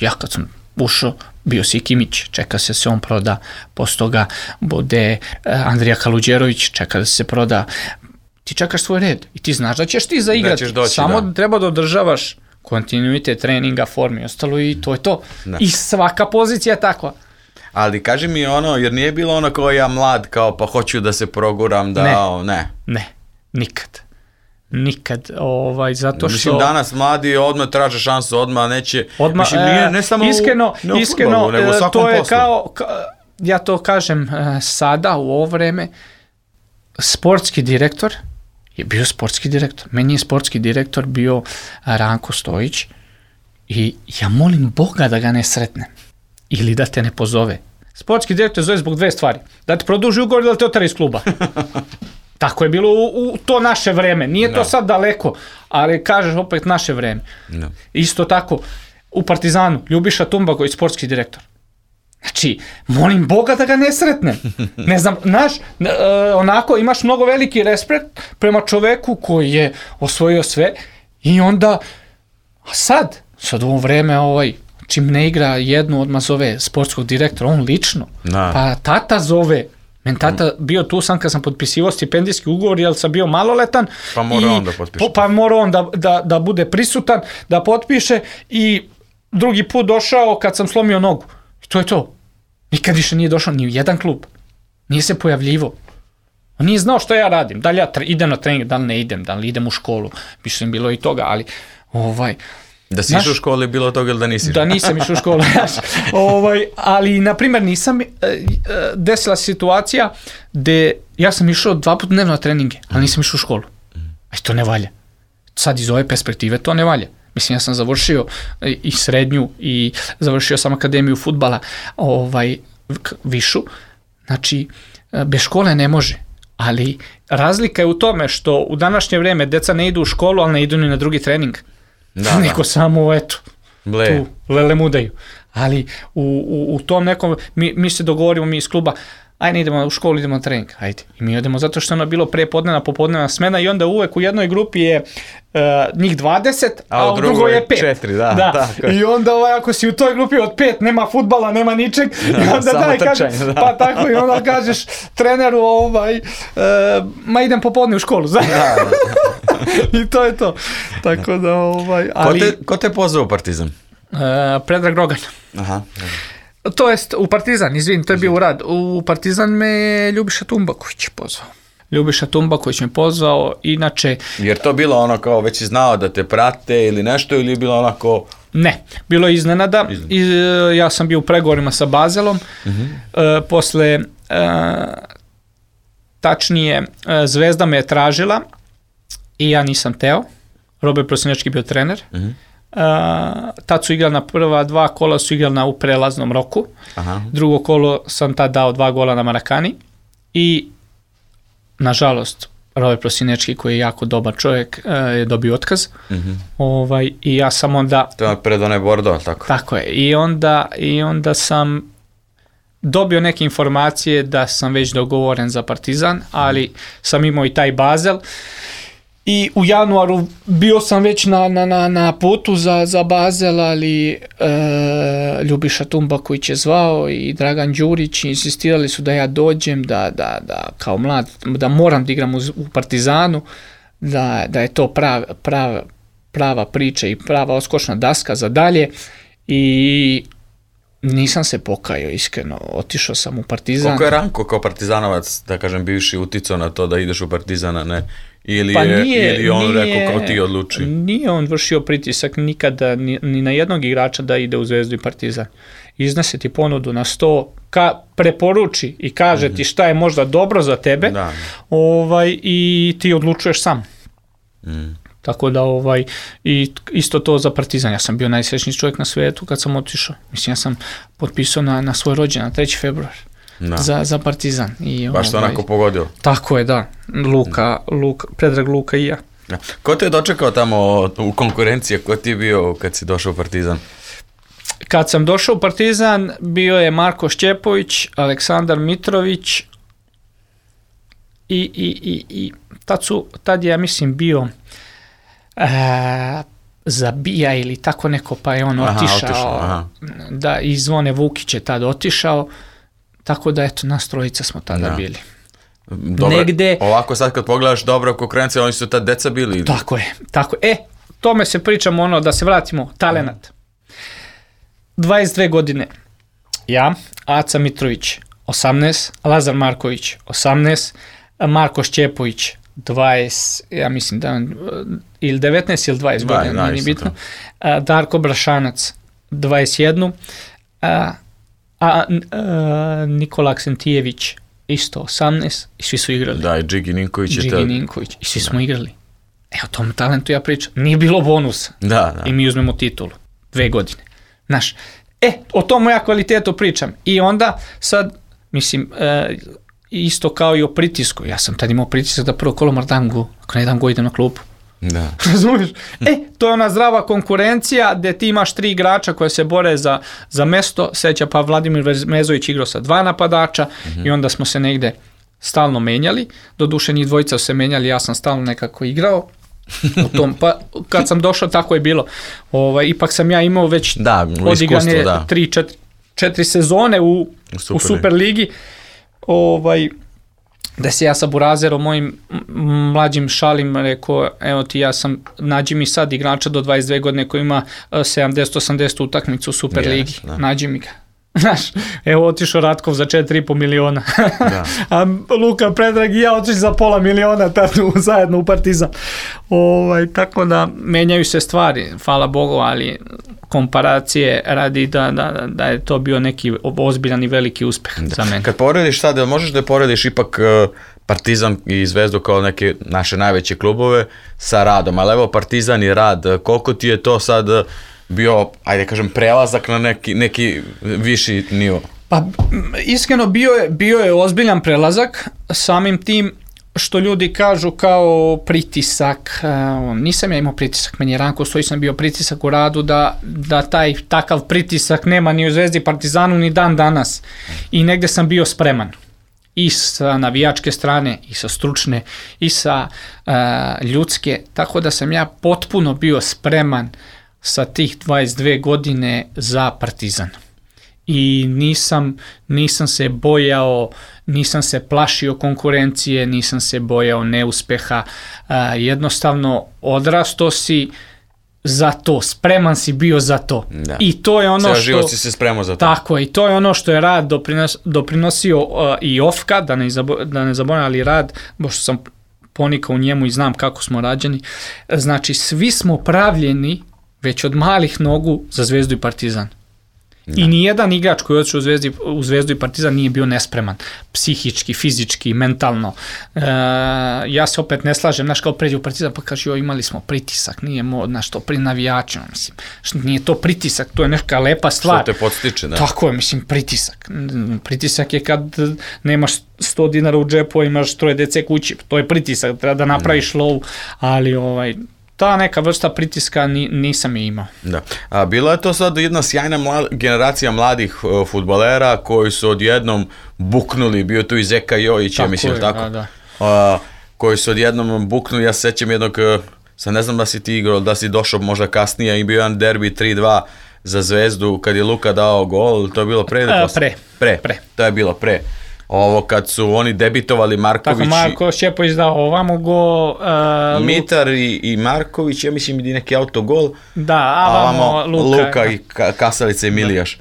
Ja kad sam ušao, bio si Kimić, čeka se on proda, posle toga bude Andrija Kaluđerović, čeka da se proda. Ti čekaš svoj red i ti znaš da ćeš ti zaigrati. Samo treba da održavaš kontinuitet treninga, forme i ostalo i to je to. Da. I svaka pozicija je takva. Ali kaži mi ono, jer nije bilo ono kao ja mlad, kao pa hoću da se proguram, da... Ne, nikad. Zato što... Mislim, danas mladi odmah traže šansu, odmah neće... Mislim, ne samo iskreno, fudbalu, nego u svakom to je poslu. ja to kažem sada, u ovo vreme, sportski direktor je bio sportski direktor. Meni je sportski direktor bio Ranko Stojić i ja molim Boga da ga ne sretnem ili da te ne pozove. Sportski direktor zove zbog 2 stvari. Da te produži ugovor ili da te otera iz kluba. Tako je bilo u to naše vreme. Nije to sad daleko, ali kažeš opet naše vreme. No. Isto tako, u Partizanu, Ljubiša Tumbaković, sportski direktor. Znači, molim Boga da ga ne sretnem. Ne znam, onako imaš mnogo veliki respekt prema čoveku koji je osvojio sve i onda, sad u ovo vreme čim ne igra jednu odmah zove sportskog direktora, on lično, pa tata zove. Men tata bio tu sam kad sam potpisivao stipendijski ugovor, jer sam bio maloletan. Pa mora on da potpiše. Pa mora on da bude prisutan, da potpiše i drugi put došao kad sam slomio nogu. I to je to. Nikad više nije došao ni u jedan klub. Nije se pojavljivo. On nije znao što ja radim. Da li ja idem na trening, da li ne idem, da li idem u školu. Mislim, bilo i toga, ali... Da si išao u školu je bilo toga ili da nisi? Da nisam išao u školu. Ali, na primjer, nisam desila situacija gde ja sam išao 2 puta dnevno na treninge, ali nisam išao u školu. A to ne valja. Sad iz ove perspektive to ne valja. Mislim, ja sam završio i srednju i završio sam akademiju fudbala višu. Znači, bez škole ne može. Ali razlika je u tome što u današnje vreme deca ne idu u školu, ali ne idu ni na drugi trening. Neko samo, tu lele mudaju. Ali u tom nekom, mi se dogovorimo, mi iz kluba, ajde idemo u školu, idemo na trening, ajde. I mi idemo zato što je ono bilo prepodnevna, popodnevna smena i onda uvek u jednoj grupi je njih 20, a u drugoj je 5. 4, da. I onda ako si u toj grupi od 5, nema fudbala, nema ničeg, i onda kažeš, pa tako, i onda kažeš treneru, ma idem popodne u školu, znaš. I to je to. Tako da, Ko te pozvao u Partizan? Predrag Rogan. Aha. To jest u Partizan, izvin, to je bio u Rad. U Partizan me Ljubiša Tumbaković pozvao. Ljubiša Tumbaković me pozvao, inače... Jer to bilo ono kao već si znao da te prate ili nešto, ili je bilo onako... Ne, bilo je iznenada. Ja sam bio u pregovorima sa Bazelom. Posle, tačnije, Zvezda me je tražila i ja nisam teo. Robert Prosinečki bio trener. Tad su igrali na prva 2 kola, su igrali u prelaznom roku. Drugo kolo sam tad dao 2 gola na Marakani i nažalost Robert Prosinečki, koji je jako dobar čovjek, je dobio otkaz. I ja sam onda... To je pred onaj Bordeaux, tako? Tako je. I onda sam dobio neke informacije da sam već dogovoren za Partizan, ali sam imao i taj Basel. I u januaru bio sam već na putu za Basel, ali Ljubiša Tumbaković je zvao i Dragan Đurić insistirali su da ja dođem, da kao mlad, da moram da igram u Partizanu, da je to prava priča i prava odskočna daska za dalje i nisam se pokajao, iskreno, otišao sam u Partizan. Koliko je Ranko kao partizanovac, da kažem, bivši uticao na to da ideš u Partizana, ne? Ili on rekao kao ti odluči? Nije on vršio pritisak nikada ni na jednog igrača da ide u Zvezdu i Partizan. Iznese ti ponudu na 100, preporuči i kaže ti šta je možda dobro za tebe i ti odlučuješ sam. Tako da i isto to za Partizan. Ja sam bio najsrećniji čovjek na svijetu kad sam otišao. Mislim, ja sam potpisao na svoj rođendan, 3. februar. Za Partizan. Baš to onako pogodio. Tako je, da. Predrag Luka i ja. Ko te je dočekao tamo u konkurenciji? Ko ti je bio kad si došao u Partizan? Kad sam došao u Partizan, bio je Marko Šćepović, Aleksandar Mitrović i tad je, ja mislim, bio Zabija ili tako neko, pa je on otišao. Da, i Zvone Vukić je tad otišao, tako da eto, nas trojica smo tada bili. Dobro, negde, ovako sad kad pogledaš dobra konkurencija, oni su tad deca bili. Tako je. Tome se pričamo, da se vratimo, talenat. 22 godine, ja, Aca Mitrović, 18, Lazar Marković, 18, Marko Šćepović, 20, ja mislim da ili 19 ili 20 godina, nije bitno, Darko Brašanac, 21, Nikola Aksentijević, isto 18, i svi su igrali. Da, i Džigi Ninković i svi smo igrali. O tom talentu ja pričam. Nije bilo bonusa. I mi uzmemo titulu. 2 godine. Znaš, o tom ja kvalitetu pričam. I onda sad, mislim, isto kao i o pritisku. Ja sam tad imao pritisak da prvo kolo Mardangu, ako ne dam go idem na klubu. Da. Razumiješ? To je ona zdrava konkurencija gdje ti imaš 3 igrača koje se bore za mesto. Seća pa Vladimir Mezović igrao sa 2 napadača i onda smo se negde stalno menjali. Doduše njih dvojica su se menjali, ja sam stalno nekako igrao. Pa kad sam došao tako je bilo. Ipak sam ja imao već odigrane 3-4 sezone u Superligi. Da se ja sa Burazerom, mojim mlađim šalim, rekao, evo ti, nađi mi sad igrača do 22 godine koji ima 70-80 utakmicu u Superligi. Nađi mi ga. Znaš, evo otišao Ratkov za 4,5 miliona. A Luka, Predrag i ja otišli za pola miliona tad zajedno u Partizan. Tako da menjaju se stvari, hvala Bogu, ali komparacije radi da je to bio neki ozbiljan i veliki uspeh za mene. Kad porediš sad, možeš da porediš ipak Partizan i Zvezdu kao neke naše najveće klubove sa Radom, ali evo Partizan i Rad, koliko ti je to sad bio, ajde kažem, prelazak na neki viši nivo? Pa iskreno bio je ozbiljan prelazak, samim tim što ljudi kažu kao pritisak, nisam ja imao pritisak, meni je Ranko Stojić sam bio pritisak u Radu da takav pritisak nema ni u Zvezdi, Partizanu ni dan danas i negde sam bio spreman. I sa navijačke strane, i sa stručne, i sa ljudske, tako da sam ja potpuno bio spreman sa tih 22 godine za Partizan. I nisam se bojao, nisam se plašio konkurencije, nisam se bojao neuspeha, jednostavno odrastao si za to, spreman si bio za to. Da. I to je ono što... život si se spremao za to. Tako je, i to je ono što je Rad doprinosio i Ofka, da ne zaboravim, ali Rad, pošto sam ponikao u njemu i znam kako smo rađeni, znači svi smo pravljeni već od malih nogu za Zvezdu i Partizan. Da. I nijedan igrač koji je otišao u Zvezdu i Partizan nije bio nespreman. Psihički, fizički, mentalno. Ja se opet ne slažem, znaš, kao pređe u Partizan pa kaže, imali smo pritisak, nije znaš, to pri navijačima, mislim. Nije to pritisak, to je neka lepa stvar. Što te podstiče, da. Tako je, mislim, pritisak. Pritisak je kad nemaš 100 dinara u džepu, imaš 3 dece kući, to je pritisak, treba da napraviš lov, ali ta neka vrsta pritiska nisam je imao. Da. A bila je to sad jedna sjajna generacija mladih fudbalera koji su odjednom buknuli, bio tu i Zeka Jojić, ja mislim, tako? Da. Koji su odjednom buknuli, ja se sećam jednog, sad ne znam da si ti igrao, da si došao možda kasnije i bio jedan derbi 3-2 za Zvezdu kad je Luka dao gol, to je bilo pre ili posle? Pre. To je bilo pre. Ovo kad su oni debitovali Marković... Tako Marko Šćepović dao ovamo gol... Mitar i Marković, ja mislim i neki autogol. Da, a ovamo Luka i Kasalica i Milijaš.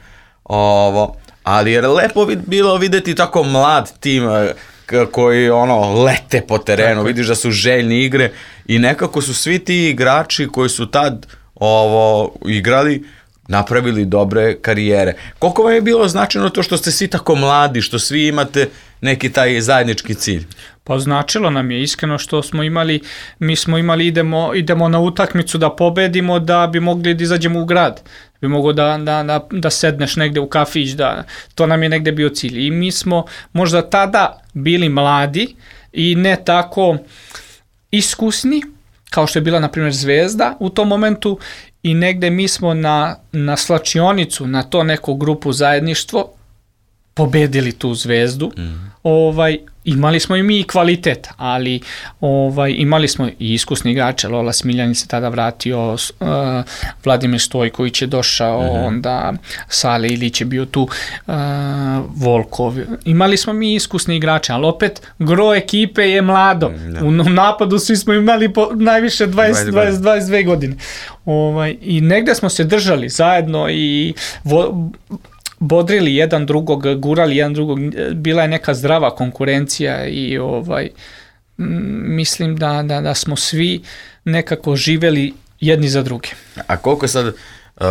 Ali je lepo bilo videti tako mlad tim koji lete po terenu, tako. Vidiš da su željni igre i nekako su svi ti igrači koji su tad igrali, napravili dobre karijere. Koliko vam je bilo značajno to što ste svi tako mladi, što svi imate neki taj zajednički cilj? Pa značilo nam je iskreno što mi smo imali idemo na utakmicu da pobedimo da bi mogli da izađemo u grad, bi mogao da sedneš negde u kafić, to nam je negde bio cilj. I mi smo možda tada bili mladi i ne tako iskusni, kao što je bila, na primjer, Zvezda u tom momentu, i negde mi smo na slačionicu, na to neko grupu zajedništvo, pobedili tu Zvezdu. Imali smo i mi kvalitet, ali imali smo i iskusni igrače. Lola Smiljanić se tada vratio, Vladimir Stojković je došao, onda Sale Ilić je bio tu, Volkov. Imali smo mi iskusni igrače, ali opet gro ekipe je mlado. U napadu svi smo imali najviše 22 godine. I negde smo se držali zajedno i bodrili jedan drugog, gurali jedan drugog, bila je neka zdrava konkurencija i mislim da smo svi nekako živeli jedni za druge. A koliko sad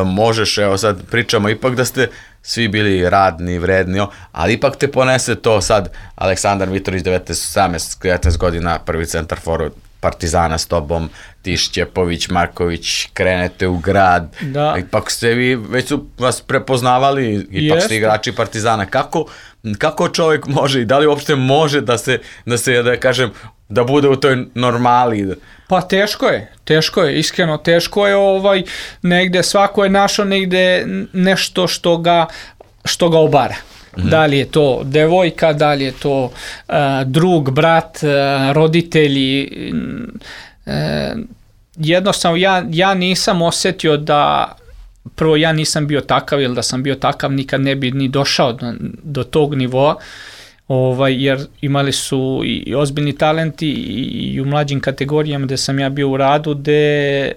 možeš, evo sad pričamo, ipak da ste svi bili radni, vredni, ali ipak te ponese to sad, Aleksandar Mitrović, 19 godina, prvi centar forward Partizana s tobom, ti Šćepović, Marković, krenete u grad, ipak ste vi, već su vas prepoznavali, ipak ste igrači Partizana. Kako čovjek može i da li uopšte može da kažem, da bude u toj normali? Pa teško je, iskreno teško je, negde svako je našao negde nešto što ga obara. Da li je to devojka, da li je to drug, brat, roditelji. Jednostavno ja nisam osjetio prvo ja nisam bio takav, jer da sam bio takav nikad ne bi ni došao do tog nivoa, jer imali su i ozbiljni talenti i u mlađim kategorijama gde sam ja bio u radu, gde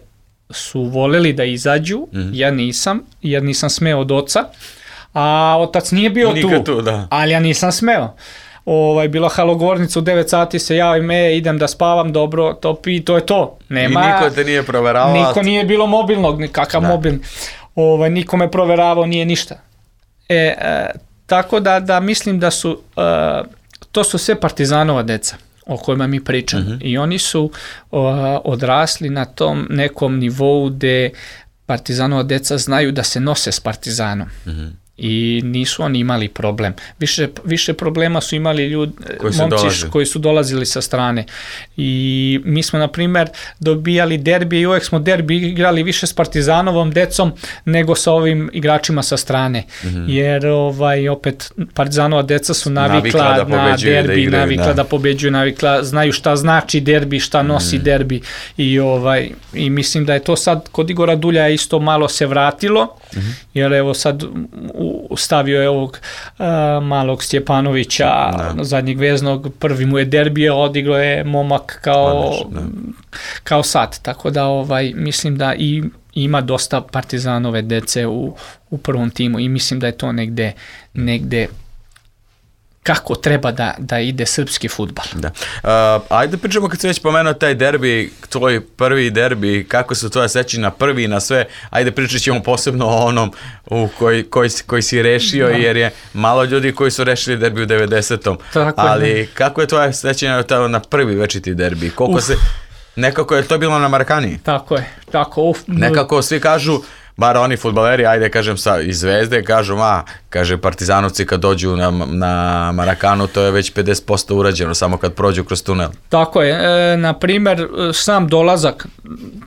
su voleli da izađu, ja nisam, jer nisam smeo od oca. A otac nije bio tu, ali ja nisam smeo. Bila halogornica u 9 sati, se javim, idem da spavam, dobro, topi, i to je to. Nema, i niko te nije proveravao? Niko nije bilo mobilnog, nikakav mobilni. Niko me proveravao, nije ništa. Tako da mislim da su, to su sve Partizanova deca o kojima mi pričamo. I oni su odrasli na tom nekom nivou gde Partizanova deca znaju da se nose s Partizanom. I nisu oni imali problem. Više problema su imali momci koji su dolazili sa strane. I mi smo, na primjer, dobijali derbije i uvek smo derbi igrali više s Partizanovom decom nego sa ovim igračima sa strane. Jer opet Partizanova deca su navikla na derbi, navikla da pobeđuju, znaju šta znači derbi, šta nosi derbi. I mislim da je to sad kod Igora Dulja isto malo se vratilo, jer evo sad stavio je ovog malog Stjepanovića, zadnjeg veznog, prvi mu je derbije, odigrao je momak kao sad, tako da mislim da i ima dosta Partizanove dece u prvom timu i mislim da je to negde kako treba da ide srpski fudbal. Ajde pričamo, kad se već pomenuo taj derbi, tvoj prvi derbi, kako su tvoje sećanja na prvi i na sve, ajde pričat ćemo posebno o onom koji si rešio, jer je malo ljudi koji su rešili derbi u 90-om, ali kako je tvoje sećanje na prvi večiti derbi? Nekako je to bilo na Marakaniji? Tako je. Nekako svi kažu, bar oni fudbaleri, ajde kažem iz Zvezde, kaže Partizanovci kad dođu na Marakanu, to je već 50% urađeno, samo kad prođu kroz tunel. Tako je, na primjer, sam dolazak,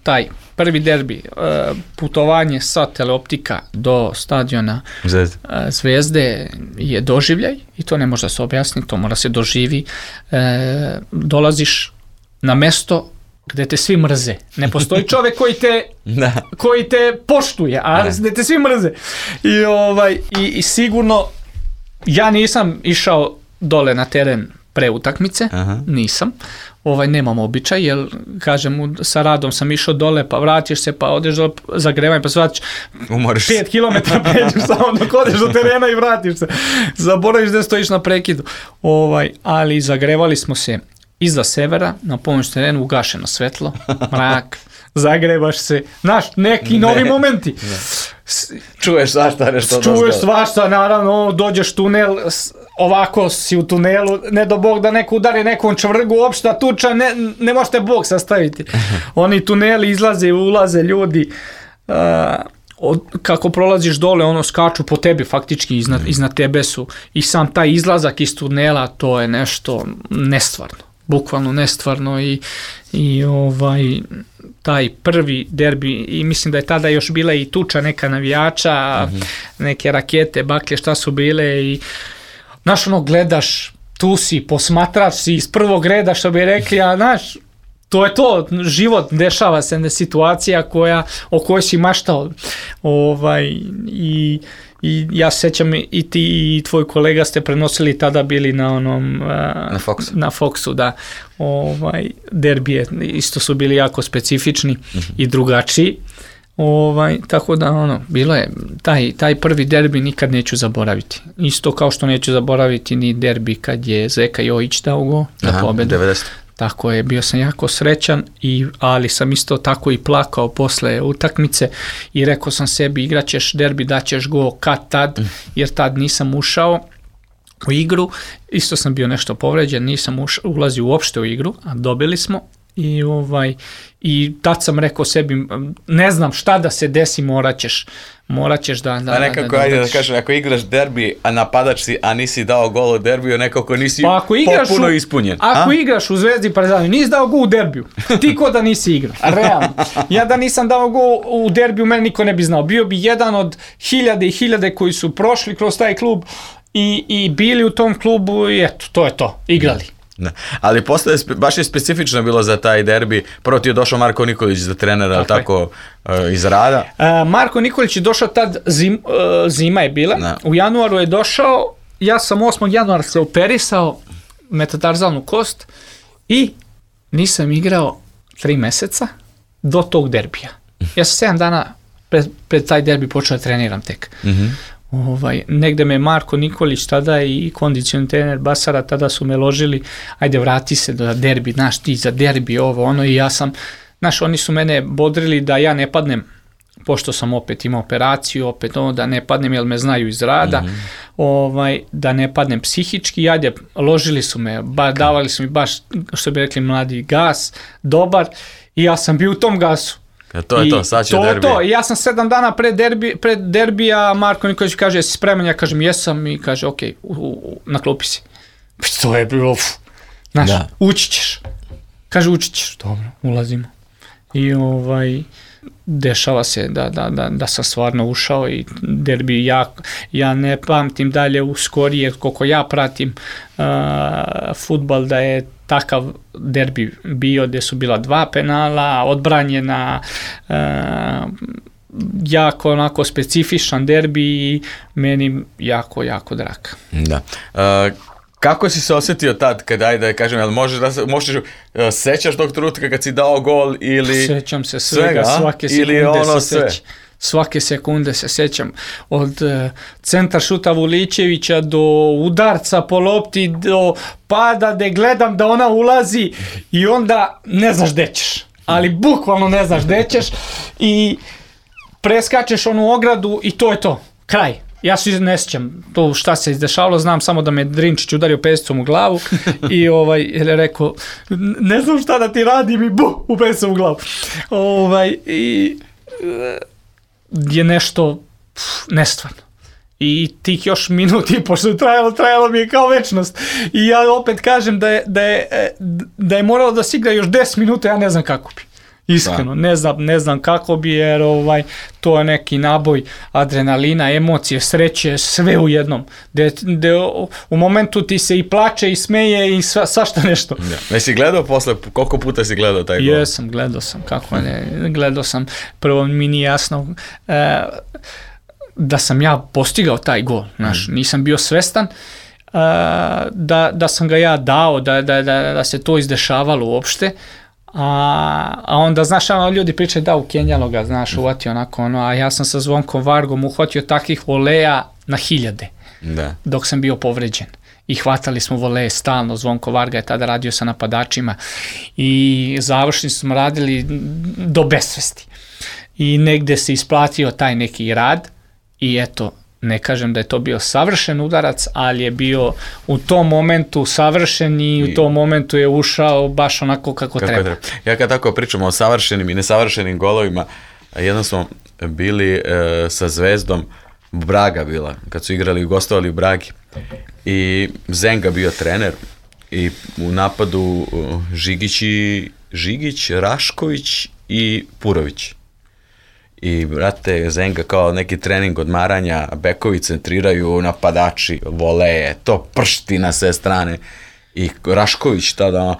taj prvi derbi, putovanje sa Teleoptika do stadiona Zvezde je doživljaj i to ne može da se objasni, to mora se doživi. Dolaziš na mesto gde te svi mrze. Ne postoji čovek koji te poštuje, a gde te svi mrze. I sigurno ja nisam išao dole na teren pre utakmice, nisam. Nemam običaj, jer kažem, sa radom sam išao dole, pa vratiš se, pa odeš do zagrevanja, pa se vratiš 5 km pređeš samo dok odeš do terena i vratiš se. Zaboraviš da stojiš na prekidu. Ali zagrevali smo se iza severa, na pomoć terenu, ugašeno svetlo, mrak, zagrebaš se, neki novi momenti. Čuješ svašta nešto. Čuješ svašta, naravno, dođeš tunel, ovako si u tunelu, ne do Bog da neko udari nekom čvrgu, opšta tuča, ne možete Bog sastaviti. Oni tuneli izlaze i ulaze ljudi, kako prolaziš dole, ono skaču po tebi, faktički iznad tebe su, i sam taj izlazak iz tunela, to je nešto nestvarno, bukvalno nestvarno, i taj prvi derbi, i mislim da je tada još bila i tuča neka navijača, neke rakete, baklje, šta su bile, i znaš, ono, gledaš, tu si, posmatrač si iz prvog reda, što bi rekli, a znaš, to je to, život, dešava se situacija o kojoj si maštao, i ja se sjećam, i ti i tvoj kolega ste prenosili, tada bili na onom na Foxu, da, derbije isto su bili jako specifični i drugačiji, tako da bilo je taj prvi derbi nikad neću zaboraviti, isto kao što neću zaboraviti ni derbi kad je Zeka Jojić dao gol za pobedu. 90. Tako je, bio sam jako srećan, ali sam isto tako i plakao posle utakmice i rekao sam sebi, igraćeš derbi, daćeš gol kad tad, jer tad nisam ušao u igru, isto sam bio nešto povređen, nisam ulazio uopšte u igru, a dobili smo, i tad sam rekao sebi, ne znam šta da se desi, morat ćeš da... A nekako, da kažem, ako igraš derbi, a napadač si, a nisi dao gol u derbiju, nekako nisi potpuno ispunjen. Ako igraš u Zvezdi Partizanu, nisi dao gol u derbiju, ti ko da nisi igrao, realno. Ja da nisam dao gol u derbiju, meni niko ne bi znao. Bio bi jedan od hiljade i hiljade koji su prošli kroz taj klub i bili u tom klubu, i eto, to je to, igrali. Ne. Ali posle baš je specifično bilo za taj derbi. Prvo ti je došao Marko Nikolić za trenera, tako iz rada. Marko Nikolić je došao tad, zima je bila, u januaru je došao, ja sam 8. januara se operisao, metatarzalnu kost, i nisam igrao 3 meseca do tog derbija. Ja sam 7 dana pred taj derbi počeo da treniram tek. Negde me Marko Nikolić tada i kondicioni trener Basara tada su me ložili, ajde vrati se da derbi, znaš ti za derbi i ja sam, znaš, oni su mene bodrili da ja ne padnem, pošto sam opet imao operaciju, opet da ne padnem jer me znaju iz rada, da ne padnem psihički, ajde, ložili su me, davali su mi baš, što bi rekli mladi, gas, dobar, i ja sam bio u tom gasu. To je to, sad će derbi. To, ja sam 7 dana pred derbija, Marko Nikolić kaže, jesi spreman? Ja kažem, jesam, i kaže, ok, na klupi si. To je bilo, znaš, ući ćeš. Kaže, ući ćeš, dobro, ulazimo. I dešava se da sam stvarno ušao, i derbi, ja ne pamtim dalje u skorije, koliko ja pratim fudbal, da je takav derbi bio, gdje su bila 2 penala, odbranjena, jako onako specifičan derbi, i meni jako, jako drag. Da. Kako si se osjetio tad, kada, ajde kažem, jel možeš sećaš tog trenutka kad si dao gol, ili... Sećam se svega, svake sekunde se sećam. Svake sekunde se sećam, od centar šuta Vuličevića do udarca po lopti, do pada gde gledam da ona ulazi, i onda ne znaš gde ćeš, ali bukvalno ne znaš gde ćeš, i preskačeš onu ogradu i to je to, kraj. Ja se ne sjećam to šta se izdešavalo, znam samo da me Drinčić udario pesicom u glavu i je rekao, ne znam šta da ti radim, i u pesicom u glavu. I je nešto nestvarno. I tih još minut i pošto je trajalo mi je kao večnost. I ja opet kažem da je moralo da se igra još 10 minuta, ja ne znam kako bi. Iskreno, ne znam kako bi, jer to je neki naboj adrenalina, emocije, sreće, sve u jednom. U momentu ti se i plače i smeje i svašta nešto. Jesi gledao posle, koliko puta si gledao taj gol? Jesam, gledao sam, kako ne, gledao sam. Prvo mi nije jasno da sam ja postigao taj gol, znaš, nisam bio svestan da sam ga ja dao, da se to izdešavalo uopšte. A onda, znaš, ljudi pričaju da ukenjalo ga, znaš, uvatio onako a ja sam sa Zvonkom Vargom uhvatio takvih voleja na hiljade, dok sam bio povređen. I hvatali smo voleje stalno, Zvonko Varga je tada radio sa napadačima i završni smo radili do besvesti. i negde se isplatio taj neki rad i eto, ne kažem da je to bio savršen udarac, ali je bio u tom momentu savršen i u tom momentu je ušao baš onako kako treba. Ja kad tako pričamo o savršenim i nesavršenim golovima, jednom smo bili sa Zvezdom, Braga bila, kad su igrali i gostovali u Bragi i Zenga bio trener i u napadu Žigić, Rašković i Purović. I, brate, Zenga kao neki trening odmaranja, bekovi centriraju, napadači, voleje, to pršti na sve strane. I Rašković tada,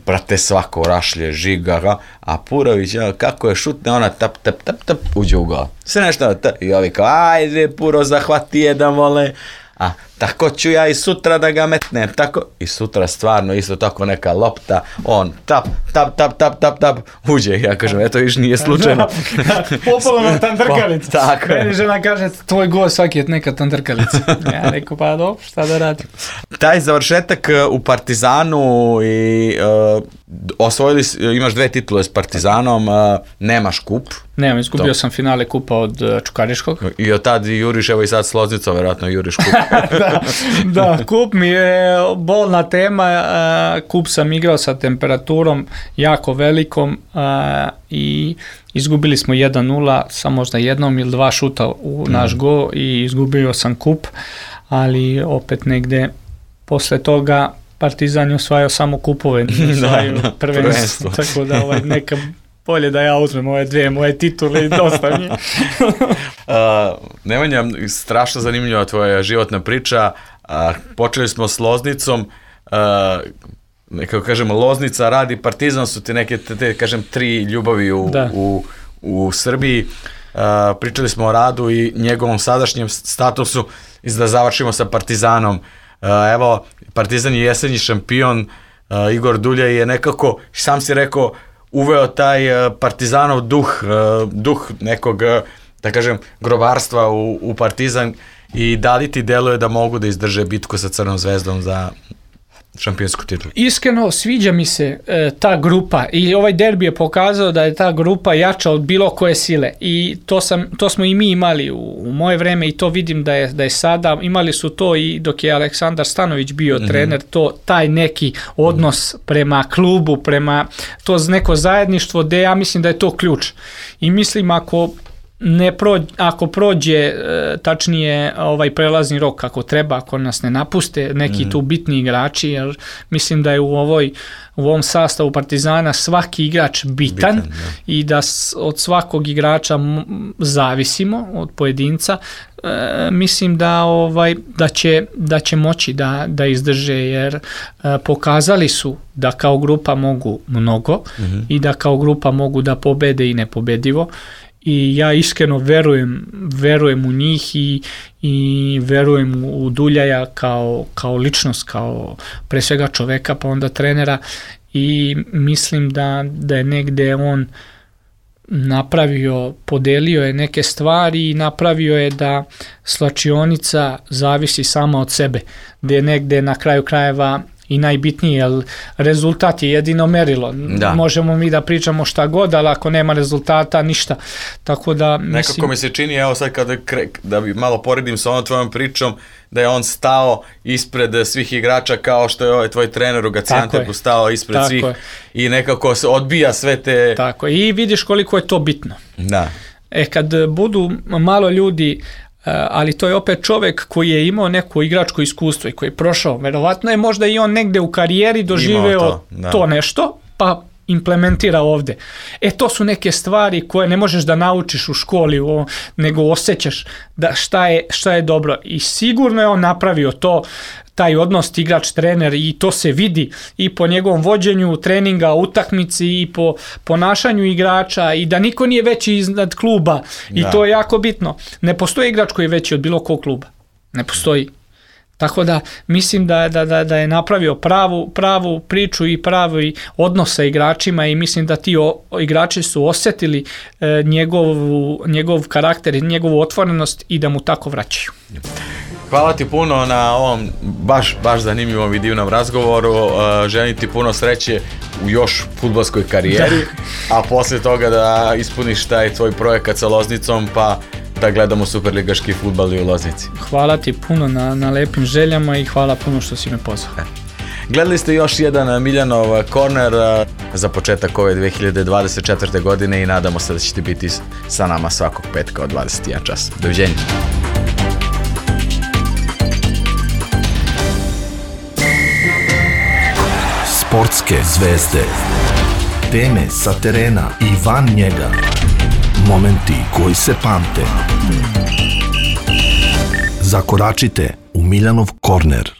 brate, svako rašlje, žiga, a Purović, kako je šutne, ona tap, uđe u gol. Sve nešto, i ovi kao, ajde, Puro, zahvati jedan vole, a tako ću ja i sutra da ga metnem, tako, i sutra stvarno isto tako neka lopta, on tap, uđe, ja kažem, eto viš nije slučajno. Popolo na tantrkalicu. Tako je. Meni žena kaže, tvoj gol svaki je neka tantrkalica. Ja rekao, pa dobro, šta da radim. Taj završetak u Partizanu i osvojili, imaš 2 titule s Partizanom, nemaš kup. Nemam, izgubio sam finale kupa od Čukaričkog. I od tad juriš, evo i sad s Loznicom, vjerojatno juriš kup. Da, kup mi je bolna tema, kup sam igrao sa temperaturom jako velikom i izgubili smo 1-0 sa možda jednom ili 2 šuta u naš go i izgubio sam kup, ali opet negde posle toga Partizan je osvajao samo kupove, nije osvajao prvenstvo, tako da neka bolje da ja uzmem ove 2 moje titule i dosta mi. Nemanja, strašno zanimljiva tvoja životna priča. Počeli smo s Loznicom, nekako kažemo Loznica, radi, Partizan su ti neke, kažem, 3 ljubavi u Srbiji. Pričali smo o Radu i njegovom sadašnjem statusu i da završimo sa Partizanom. Evo, Partizan je jesenji šampion, Igor Duljaj je nekako, sam si rekao, uveo taj Partizanov duh nekog, da kažem, grobarstva u Partizan i da li ti deluje da mogu da izdrže bitku sa Crnom zvezdom za šampionsku titulu? Iskreno, sviđa mi se ta grupa i ovaj derbi je pokazao da je ta grupa jača od bilo koje sile i to smo i mi imali u moje vreme i to vidim da je sada, imali su to i dok je Aleksandar Stanović bio trener, taj neki odnos prema klubu, prema to neko zajedništvo, gde ja mislim da je to ključ i mislim ako prođe tačnije ovaj prelazni rok kako treba, ako nas ne napuste neki tu bitni igrači, jer mislim da je u ovom sastavu Partizana svaki igrač bitan i da od svakog igrača zavisimo od pojedinca. Mislim da će moći da izdrže, jer pokazali su da kao grupa mogu mnogo i da kao grupa mogu da pobede i nepobedivo. I ja iskreno verujem u njih i verujem u Duljaja kao ličnost, kao pre svega čoveka, pa onda trenera i mislim da je negde on napravio, podelio je neke stvari i napravio je da slačionica zavisi sama od sebe, gde je negde na kraju krajeva i najbitnije, jer rezultat je jedino merilo. Možemo mi da pričamo šta god, ali ako nema rezultata, ništa. Tako da, nekako mi se čini, evo sad da bi malo poredim sa onom tvojom pričom, da je on stao ispred svih igrača kao što je ovaj tvoj trener u Gaziantepu stao ispred svih i nekako se odbija sve te... Tako, i vidiš koliko je to bitno. Da. Kad budu malo ljudi, ali to je opet čovek koji je imao neko igračko iskustvo i koji je prošao, verovatno je možda i on negde u karijeri doživeo to nešto, pa implementira ovde. To su neke stvari koje ne možeš da naučiš u školi, nego osjećaš da šta je dobro i sigurno je on napravio to, taj odnos igrač-trener i to se vidi i po njegovom vođenju treninga, utakmici i po ponašanju igrača i da niko nije veći iznad kluba i to je jako bitno. Ne postoji igrač koji je veći od bilo kog kluba. Ne postoji. Tako da mislim da je napravio pravu priču i pravi odnos sa igračima i mislim da ti igrači su osjetili njegov karakter i njegovu otvorenost i da mu tako vraćaju. Hvala ti puno na ovom baš zanimljivom i divnom razgovoru. Želim ti puno sreće u još fudbalskoj karijeri, a posle toga da ispuniš taj tvoj projekat sa Loznicom, pa da gledamo superligaški fudbal i u Loznici. Hvala ti puno na lepim željama i hvala puno što si me pozvao. Gledali ste još jedan Miljanov korner za početak ove 2024. godine i nadamo se da ćete biti sa nama svakog petka od 21 čas. Doviđenja. Sportske zvezde, teme sa terena i van njega, momenti koji se pamte. Zakoračite u Miljanov korner.